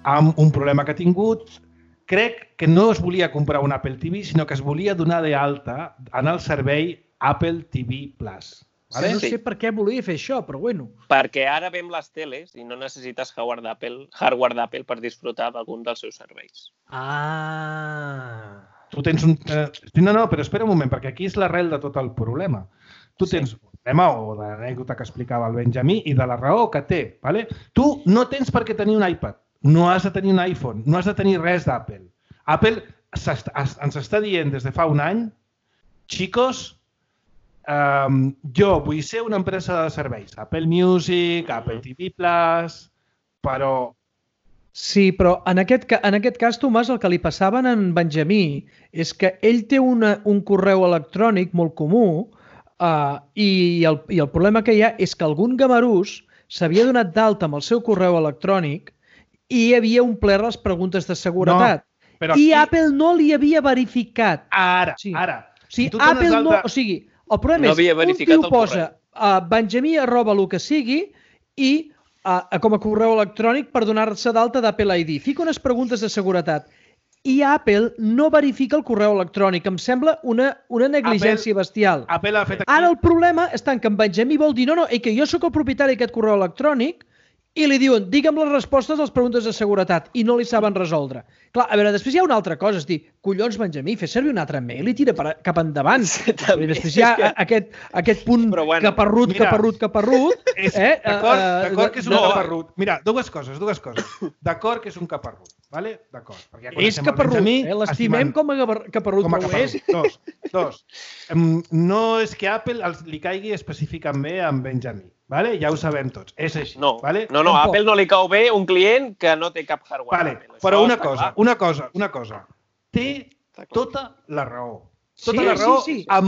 amb un problema que ha tingut. Crec que no es volia comprar un Apple TV, sinó que es volia donar d'alta en el servei Apple TV+. Vale? No sé per què volia fer això, però bueno. Perquè ara veiem les teles i no necessites hardware d'Apple per disfrutar d'algun dels seus serveis. Tu tens un... No, però espera un moment, perquè aquí és l'arrel de tot el problema. Tu tens un tema o de l'anècdota que explicava el Benjamí i de la raó que té. Vale? Tu no tens per què tenir un iPad, no has de tenir un iPhone, no has de tenir res d'Apple. Apple ens està dient des de fa un any, xicos, jo vull ser una empresa de serveis, Apple Music, Apple TV+, però... Sí, però en aquest cas, Tomàs, el que li passava a en Benjamí és que ell té un correu electrònic molt comú i el problema que hi ha és que algun gamarús s'havia donat d'alta amb el seu correu electrònic i hi havia omplert les preguntes de seguretat. I Apple no li havia verificat. Ara. Sí, Apple no... O sigui, el problema és que un tio posa Benjamí @ el que sigui i com a correu electrònic per donar-se d'alta d'Apple ID. Fica unes preguntes de seguretat i Apple no verifica el correu electrònic. Em sembla una negligència bestial. Ara el problema està en que en Benjamí vol dir no, que jo sóc el propietari d'aquest correu electrònic i li diuen, digue'm les respostes a les preguntes de seguretat i no li saben resoldre. Clar, a veure, després hi ha una altra cosa, és dir, collons, Benjamí, fes servir un altre mail i tira cap endavant. I després hi ha aquest punt caparrut. D'acord que és un caparrut. Mira, dues coses. D'acord que és un caparrut, vale? D'acord. És caparrut, l'estimem com a caparrut, però ho és. Dos. No és que Apple li caigui específicament amb Benjamí. Vale? Ja ho sabem tots, és així. No, Apple no li cau bé un client que no té cap hardware. Vale, però una cosa. Té tota la raó. Tota la raó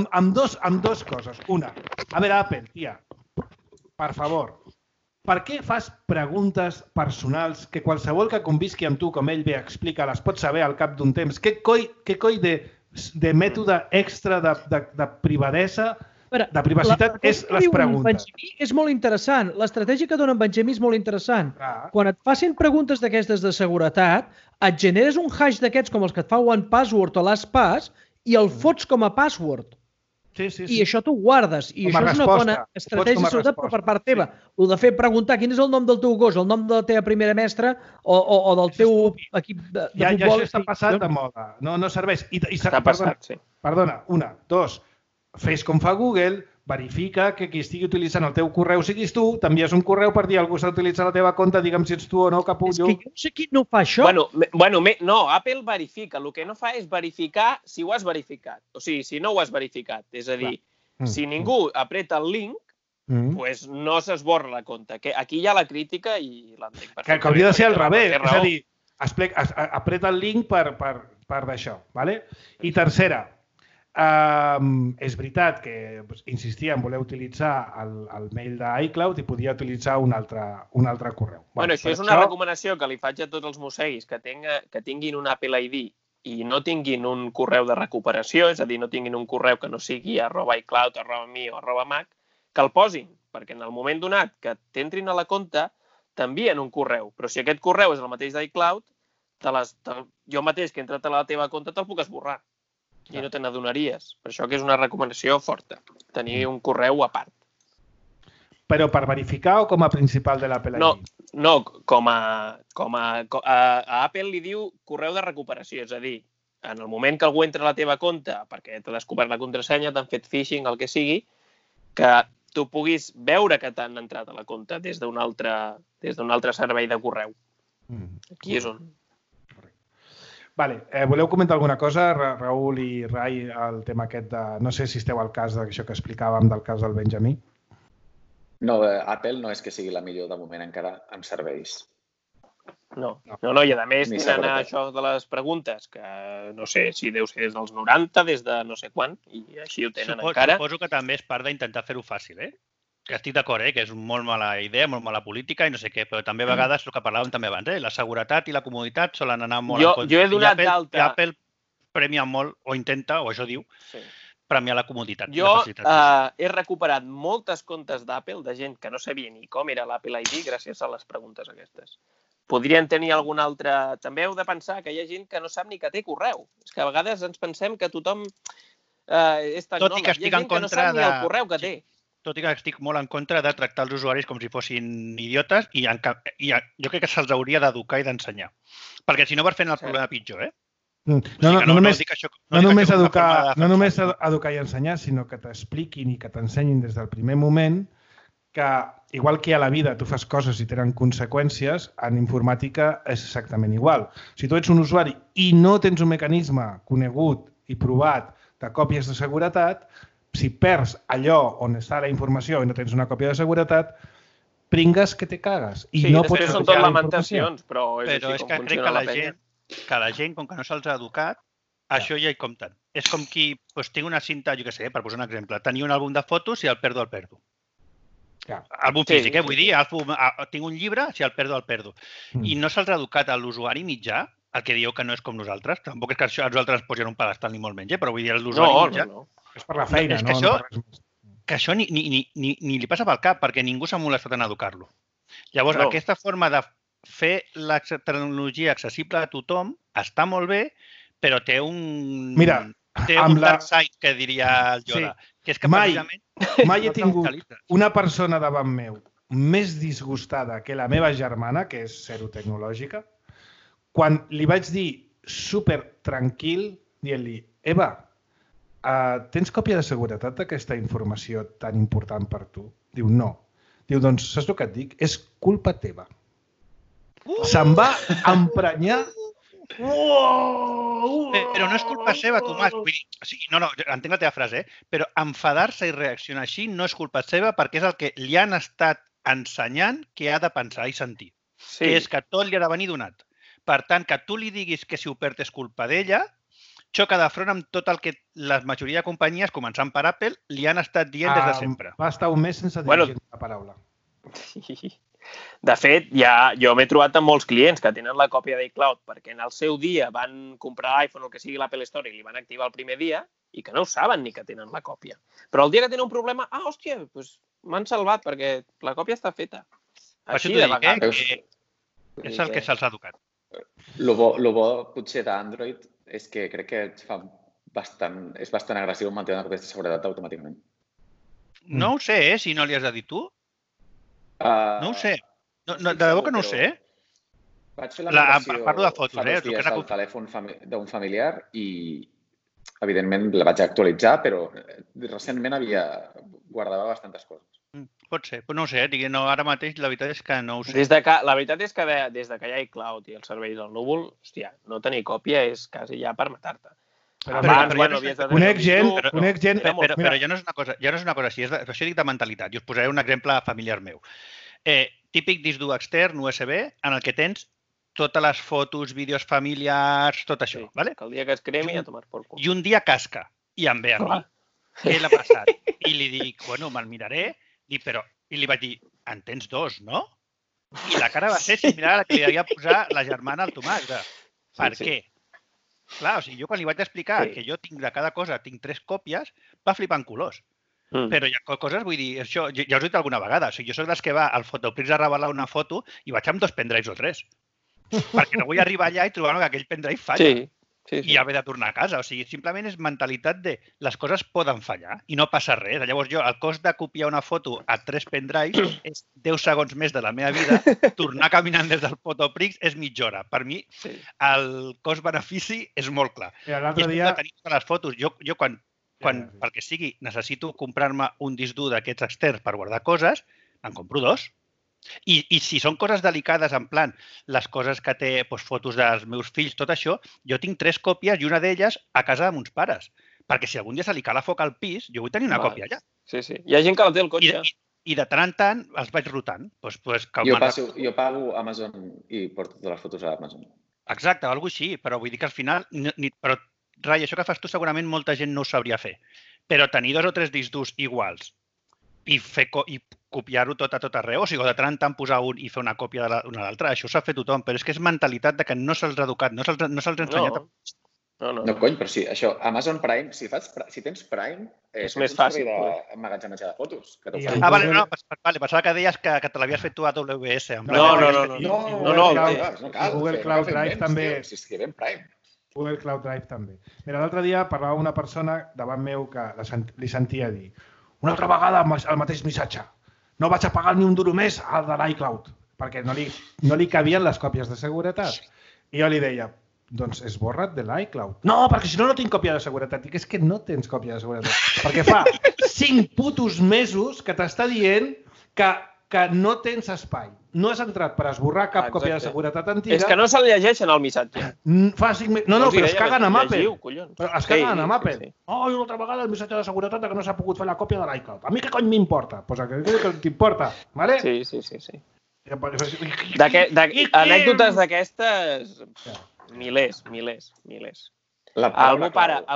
amb dos coses. Una, a veure, Apple, tia, per favor, per què fas preguntes personals que qualsevol que convisqui amb tu, com ell bé explica, les pots saber al cap d'un temps? Què coi de mètode extra de privadesa, de privacitat, és les preguntes? És molt interessant. L'estratègia que dona en Benjamí és molt interessant. Quan et facin preguntes d'aquestes de seguretat, et generes un hash d'aquests com els que et fa OnePassword o LastPass i el fots com a password. I això t'ho guardes. I això és una bona estratègia de seguretat per part teva. El de fer preguntar quin és el nom del teu gos, el nom de la teva primera mestra o del teu equip de futbol. Ja això està passat de moda. No serveix. Està passat, sí. Perdona, una. Dos, fes com fa Google, verifica que qui estigui utilitzant el teu correu siguis tu, t'envies un correu per dir algú s'ha utilitzat la teva compte, digue'm si ets tu o no, capullo. És que jo no sé qui no fa això. No, Apple verifica. El que no fa és verificar si ho has verificat. O sigui, si no ho has verificat. És a dir, si ningú apreta el link, doncs no s'esborra la compte. Aquí hi ha la crítica i l'entenc perfectament. Que hauria de ser al revés. És a dir, apreta el link per d'això. I tercera, és veritat que insistia en voler utilitzar el mail d'iCloud i podia utilitzar un altre correu. Això és una recomanació que li faig a tots els mosseguis que tinguin un Apple ID i no tinguin un correu de recuperació, és a dir, no tinguin un correu que no sigui @iCloud, @mi o @mac, que el posin, perquè en el moment donat que t'entrin a la compte t'envien un correu, però si aquest correu és el mateix d'iCloud, jo mateix que he entrat a la teva compte te'l puc esborrar. I no te n'adonaries. Per això que és una recomanació forta, tenir un correu a part. Però per verificar o com a principal de l'Apple ID? No, a Apple li diu correu de recuperació, és a dir, en el moment que algú entra a la teva compte perquè t'ha descobert la contrasenya, t'han fet phishing, el que sigui, que tu puguis veure que t'han entrat a la compte des d'un altre servei de correu. Aquí és on... Vale, voleu comentar alguna cosa, Raül i Rai, el tema aquest de... No sé si esteu al cas d'això que explicàvem del cas del Benjamí. No, Apple no és que sigui la millor de moment encara amb serveis. No, i a més tenen això de les preguntes, que no sé si deu ser des dels 90, des de no sé quan, i així ho tenen encara. Suposo que també és part d'intentar fer-ho fàcil, Que estic d'acord, que és molt mala idea, molt mala política i no sé què, però també a vegades el que parlàvem també abans, la seguretat i la comoditat solen anar molt en compte. Jo he donat d'alta... I Apple premia molt, o intenta, o això diu, premiar la comoditat. Jo he recuperat moltes comptes d'Apple de gent que no sabia ni com era l'Apple ID gràcies a les preguntes aquestes. Podrien tenir algun altre... També heu de pensar que hi ha gent que no sap ni que té correu. És que a vegades ens pensem que tothom és tecnòleg. Hi ha gent que no sap ni el correu que té. Tot i que estic molt en contra de tractar els usuaris com si fossin idiotes i jo crec que se'ls hauria d'educar i d'ensenyar. Perquè si no vas fent el problema pitjor, No només educar i ensenyar, sinó que t'expliquin i que t'ensenyin des del primer moment que, igual que a la vida tu fas coses i tenen conseqüències, en informàtica és exactament igual. Si tu ets un usuari i no tens un mecanisme conegut i provat de còpies de seguretat, si perds allò on està la informació i no tens una còpia de seguretat, pringues que te cagues. Sí, després són tot lamentacions, però és així com funciona la penya. Que la gent, com que no se'ls ha educat, això ja hi compten. És com qui, tinc una cinta, jo què sé, per posar un exemple, tenia un àlbum de fotos, si el perdo, el perdo. Àlbum físic, vull dir, tinc un llibre, si el perdo. I no se'ls ha educat a l'usuari mitjà, el que dieu que no és com nosaltres. Tampoc és que a nosaltres ens posin un pedestal ni molt menys, però vull dir, l'usuari mitjà... No. És per la feina, Que això ni li passa pel cap, perquè ningú s'ha molestat en educar-lo. Llavors, aquesta forma de fer la tecnologia accessible a tothom està molt bé, però té un dark side, que diria el Yoda. Que és que mai he tingut una persona davant meu més disgustada que la meva germana, que és zero tecnològica, quan li vaig dir super tranquil, dient-li, Eva, tens còpia de seguretat d'aquesta informació tan important per tu? Diu, no. Diu, doncs, saps el que et dic? És culpa teva. Se'n va emprenyar. Però no és culpa seva, Tomàs. No, entenc la teva frase, però enfadar-se i reaccionar així no és culpa seva perquè és el que li han estat ensenyant que ha de pensar i sentir. Que és que tot li ha de venir donat. Per tant, que tu li diguis que si ho perd és culpa d'ella, xoca de front amb tot el que la majoria de companyies, començant per Apple, li han estat dient des de sempre. Va estar un mes sense dirigir la paraula. De fet, jo m'he trobat amb molts clients que tenen la còpia d'iCloud perquè en el seu dia van comprar iPhone o el que sigui l'Apple Store i li van activar el primer dia i que no ho saben ni que tenen la còpia. Però el dia que tenen un problema, hòstia, m'han salvat perquè la còpia està feta. Així de vegades. És el que se'ls ha educat. Lo bo potser d'Android és que crec que és bastant agressiu mantenir una còpia de seguretat automàticament. No ho sé, si no li has de dir tu. No ho sé. De debò que no ho sé. Vaig fer la migració fa 2 dies al telèfon d'un familiar i, evidentment, la vaig actualitzar, però recentment guardava bastantes coses. Pot ser, però no ho sé. Ara mateix la veritat és que no ho sé. La veritat és que des que hi ha iCloud i els serveis al núvol, hòstia, no tenir còpia és quasi ja per matar-te. Conec gent... Però ja no és una cosa així, per això dic de mentalitat. I us posaré un exemple familiar meu. Típic disc dur extern, USB, en el que tens totes les fotos, vídeos familiars, tot això. Que el dia que es cremi a tomar por cul. I un dia casca, i em ve a mi. Què l'ha passat? I li dic, bueno, me'l miraré, i li vaig dir, en tens 2, no? I la cara va ser similar a la que li havia posat la germana al Tomàs. Per què? Clar, o sigui, jo quan li vaig explicar que jo tinc de cada cosa, tinc 3 còpies, va flipar en colors. Però hi ha coses, vull dir, això ja us ho he dit alguna vegada, o sigui, jo soc dels que va al Fotoprix a revelar una foto i vaig amb 2 pendrives o 3. Perquè no vull arribar allà i trobar que aquell pendrive falla. i haver de tornar a casa. O sigui, simplement és mentalitat de les coses poden fallar i no passa res. Llavors jo, el cost de copiar una foto a 3 pendrives és 10 segons més de la meva vida. Tornar caminant des del Fotoprix és mitja hora. Per mi, el cost-benefici és molt clar. I l'altre dia... tenir totes les fotos. Jo quan perquè sigui, necessito comprar-me un disc dur d'aquests externs per guardar coses, en compro 2. I si són coses delicades, en plan, les coses que té fotos dels meus fills, tot això, jo tinc 3 còpies i una d'elles a casa de mons pares. Perquè si algun dia se li cala foc al pis, jo vull tenir una còpia allà. Sí. Hi ha gent que la té al cotxe. I de tant en tant els vaig rotant. Jo pago Amazon i porto totes les fotos a Amazon. Exacte, alguna cosa així, però vull dir que al final... Però, Rai, això que fas tu segurament molta gent no ho sabria fer. Però tenir 2 o 3 discs durs iguals i copiar-ho tot a tot arreu, o sigui, de tant en tant posar un i fer una còpia d'una a l'altra, això s'ha fet tothom, però és que és mentalitat de que no se'ls ha educat, no se'ls ha ensenyat. No, cony, però sí, això, Amazon Prime, si tens Prime, és més fàcil emmagatzematge de fotos. Vale, pensava que deies que te l'havies fet tu a AWS. No, Google Cloud Drive també. Si escrivem Prime. Google Cloud Drive també. Mira, l'altre dia parlava una persona davant meu que li sentia dir una altra vegada el mateix missatge. No vaig a pagar ni un duro més al de l'iCloud, perquè no li cabien les còpies de seguretat. I jo li deia, doncs esborra't de l'iCloud. No, perquè si no tinc còpia de seguretat. Dic, és que no tens còpia de seguretat. Perquè fa 5 putos mesos que t'està dient que no tens espai. No has entrat per esborrar cap còpia de seguretat antiga. És que no se'l llegeixen al missatge. Fa 5 mesos... No, però es caguen amb Apple. Es caguen amb Apple. Oh, i una altra vegada el missatge de seguretat que no s'ha pogut fer la còpia de l'iCloud. A mi què cony m'importa? Doncs que t'importa, vale? Sí. Anècdotes d'aquestes... Milers. El meu pare...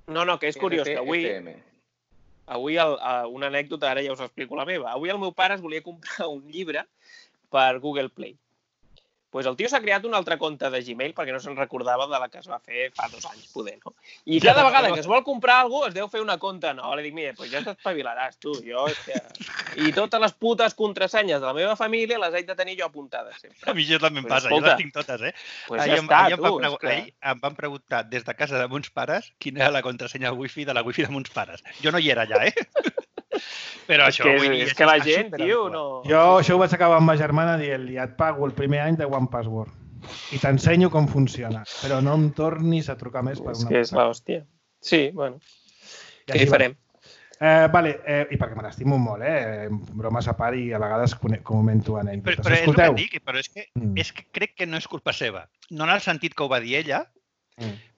No, que és curiós, que avui una anècdota, ara ja us explico la meva. Avui el meu pare es volia comprar un llibre per Google Play. Doncs el tio s'ha creat un altre compte de Gmail perquè no se'n recordava de la que es va fer fa 2 anys, poder, no? I cada vegada que es vol comprar alguna cosa es deu fer una compte nova. Li dic, mira, doncs ja t'espavilaràs, tu. I totes les putes contrasenyes de la meva família les haig de tenir jo apuntades sempre. A mi jo també em passa, jo les tinc totes, eh? Ahir em van preguntar des de casa de mons pares quina era la contrasenya wifi de la wifi de mons pares. Jo no hi era allà, eh? Però això... És que la gent, tio, no... Jo això ho vaig acabar amb ma germana dient-li et pago el primer any de OnePassword i t'ensenyo com funciona, però no em tornis a trucar més per una... És que és l'hòstia. Sí, bueno. Què hi farem? I perquè me l'estimo molt, bromes a part i a vegades comento anècdotes. Però és que crec que no és culpa seva. No en el sentit que ho va dir ella,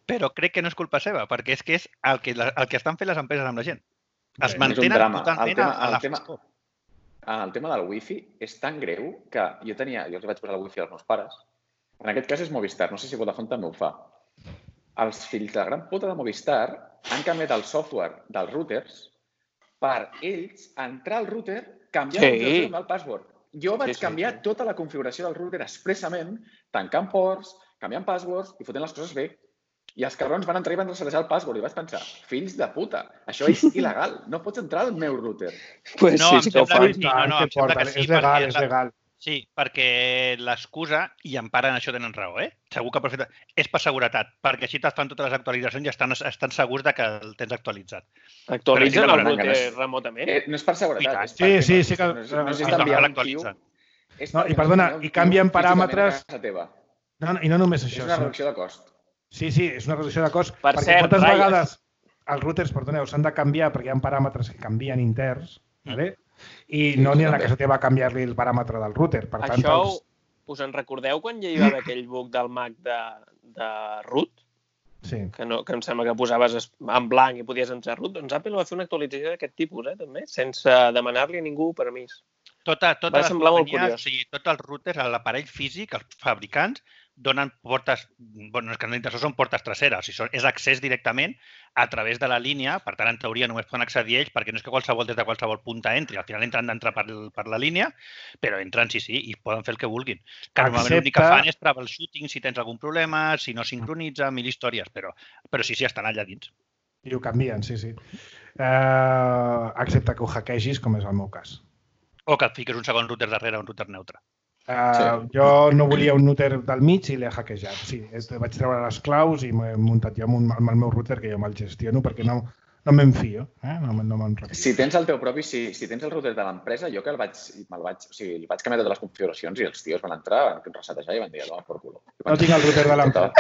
però crec que no és culpa seva, perquè és que és el que estan fent les empreses amb la gent. Es mantenen totalment a la foscor. El tema del wifi és tan greu que jo els vaig posar el wifi als meus pares. En aquest cas és Movistar, no sé si Vodafone també ho fa. Els fills de gran puta de Movistar han canviat el software dels routers per ells entrar al router, canviar el password. Jo vaig canviar tota la configuració del router expressament, tancant ports, canviant passwords i fotent les coses bé. I els cabrons van entrar i van resetejar el password i vaig pensar, fills de puta, això és il·legal, no pots entrar al meu router. No, em sembla que sí. És legal. Sí, perquè l'excusa, i en part en això tenen raó, segur que és per seguretat, perquè així et fan totes les actualitzacions i estan segurs que el tens actualitzat. Actualitzen el router remotament? No és per seguretat. Sí. I perdona, i canvien paràmetres... I no només això. És una reducció de cost. Sí, és una reducció de cost, perquè moltes vegades els routers, s'han de canviar perquè hi ha paràmetres que canvien interns, i no n'hi ha que se te va canviar-li el paràmetre del router. Això, us en recordeu quan hi va haver aquell bug del Mac de root? Sí. Que em sembla que posaves en blanc i podies entrar root. Doncs Apple va fer una actualització d'aquest tipus, també, sense demanar-li a ningú permís. Tots els routers, l'aparell físic, els fabricants, donen portes, és que no són portes traseres, és accés directament a través de la línia, per tant, en teoria només poden accedir ells, perquè no és que des de qualsevol punta entri, al final han d'entrar per la línia, però entren, sí, i poden fer el que vulguin. Que normalment l'únic que fan és troubleshooting si tens algun problema, si no sincronitza, 1000 històries, però sí, estan allà dins. I ho canvien, sí. Excepte que ho hackegis, com és el meu cas. O que et fiques un segon router darrere un router neutre. Jo no volia un router del mig i l'he hackejat. Sí, vaig treure les claus i m'he muntat jo amb el meu router, que jo me'l gestiono, perquè no me'n fio. No me'n refio. Si tens el teu propi, si tens el router de l'empresa, jo que el vaig canviar totes les configuracions i els tios van entrar, van resetejar i van dir, per culo. No tinc el router de l'empresa.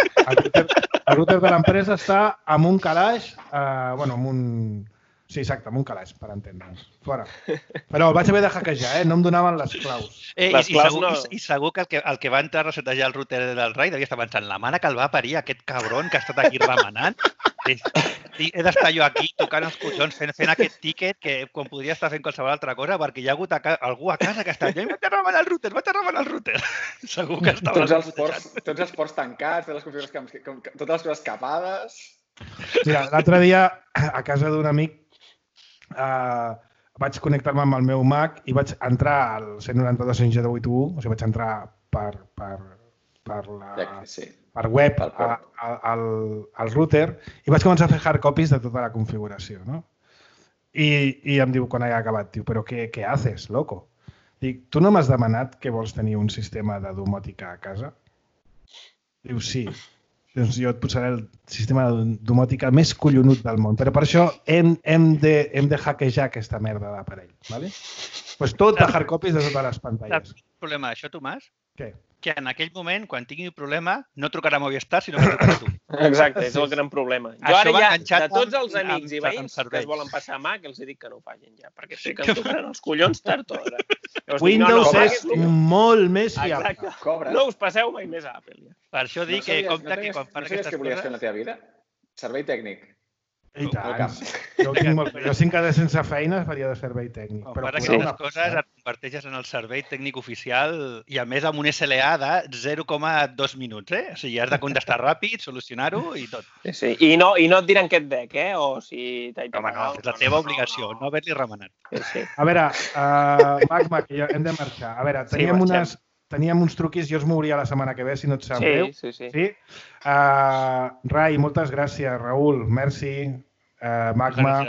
El router de l'empresa està amb un calaix, amb un... Sí, exacte, amb un calaix, per entendre'ns. Fora. Però el vaig haver de hackejar, no em donaven les claus. I segur que el que va entrar a resetejar el router del Rai devia estar pensant, la mare que el va parir, aquest cabron que ha estat aquí remenant. He d'estar jo aquí tocant els collons fent aquest tiquet que com podria estar fent qualsevol altra cosa perquè hi ha hagut algú a casa que està allà i vaig a remenar el router. Segur que estava... Tots els ports tancats, totes les coses capades... Mira, l'altre dia a casa d'un amic vaig connectar-me amb el meu Mac i vaig entrar al 192.168.1, o sigui, vaig entrar per web al router i vaig començar a fer hard copies de tota la configuració, no? I em diu, quan he acabat, diu, però què haces, loco? Dic, tu no m'has demanat que vols tenir un sistema de domòtica a casa? Diu, sí. Doncs jo et posaré el sistema de domòtica més collonut del món. Però per això hem de hackejar aquesta merda d'aparell. Doncs tot de hard copies de totes les pantalles. Saps quin problema això, Tomàs? Què? Que en aquell moment, quan tingui un problema, no trucarà a Movistar, sinó que trucarà a tu. Exacte, és el gran problema. Jo ara ja, de tots els amics i veïns que es volen passar a Mac, els dic que no ho facin ja, perquè sé que em tocaran els collons tard o d'hora. Windows és molt més fiable. No us passeu mai més a Apple. Per això dic que compte que quan fan aquestes coses... No sabies què volies fer en la teva vida? Servei tècnic. I tant. Jo si em quedés sense feina faria de servei tècnic. Per aquestes coses et converteixes en el servei tècnic oficial i a més amb un SLA de 0,2 minuts, O sigui, has de contestar ràpid, solucionar-ho i tot. Sí, i no et diran què et dec, o si t'he pagat. No, és la teva obligació, no haver-li remenat. A veure, Mac, hem de marxar. A veure, teníem uns truquis, jo els mouria la setmana que ve, si no et sap greu. Sí. Rai, moltes gràcies. Raül, merci. Magma.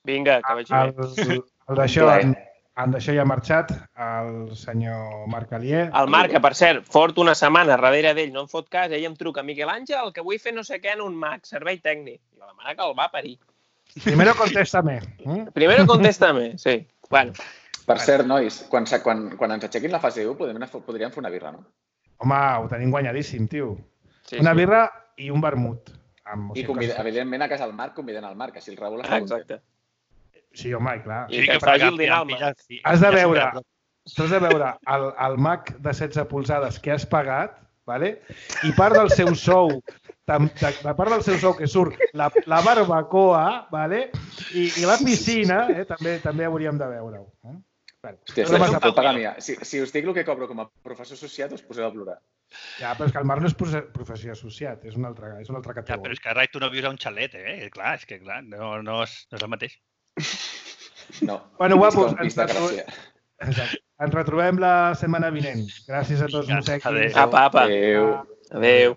Vinga, que vagi bé. En d'això ja ha marxat el senyor Marc Alier. El Marc, que per cert, fort una setmana darrere d'ell, no em fot cas, ell em truca, Miquel Àngel, que vull fer no sé què en un Mac, servei tècnic. I la mare que el va parir. Primero contéstame. Primero contéstame, sí. Bueno. Per cert, nois, quan ens aixequin la fase 1 podríem fer una birra, no? Home, ho tenim guanyadíssim, tio. Una birra i un vermut. I evidentment a casa del Marc convidant el Marc, així el Raül està Exacte. Sí, home, clar. I que faci el dinar al Marc. Has de veure el Mac de 16 polzades que has pagat, i part del seu sou, que surt la barbacoa, i la piscina, també hauríem de veure-ho. Hòstia, no pot pagar mia. Si us dic el que cobro com a professor associat, us poseu a plorar. Ja, però és que el Marc no és professió associat, és una altra categoria. Ja, però és que, Rai, tu no vius a un xalet, Clar, és que no és el mateix. No. Bueno, guapos, ens retrobem la setmana vinent. Gràcies a tots, Mosequis. Apa. Adéu.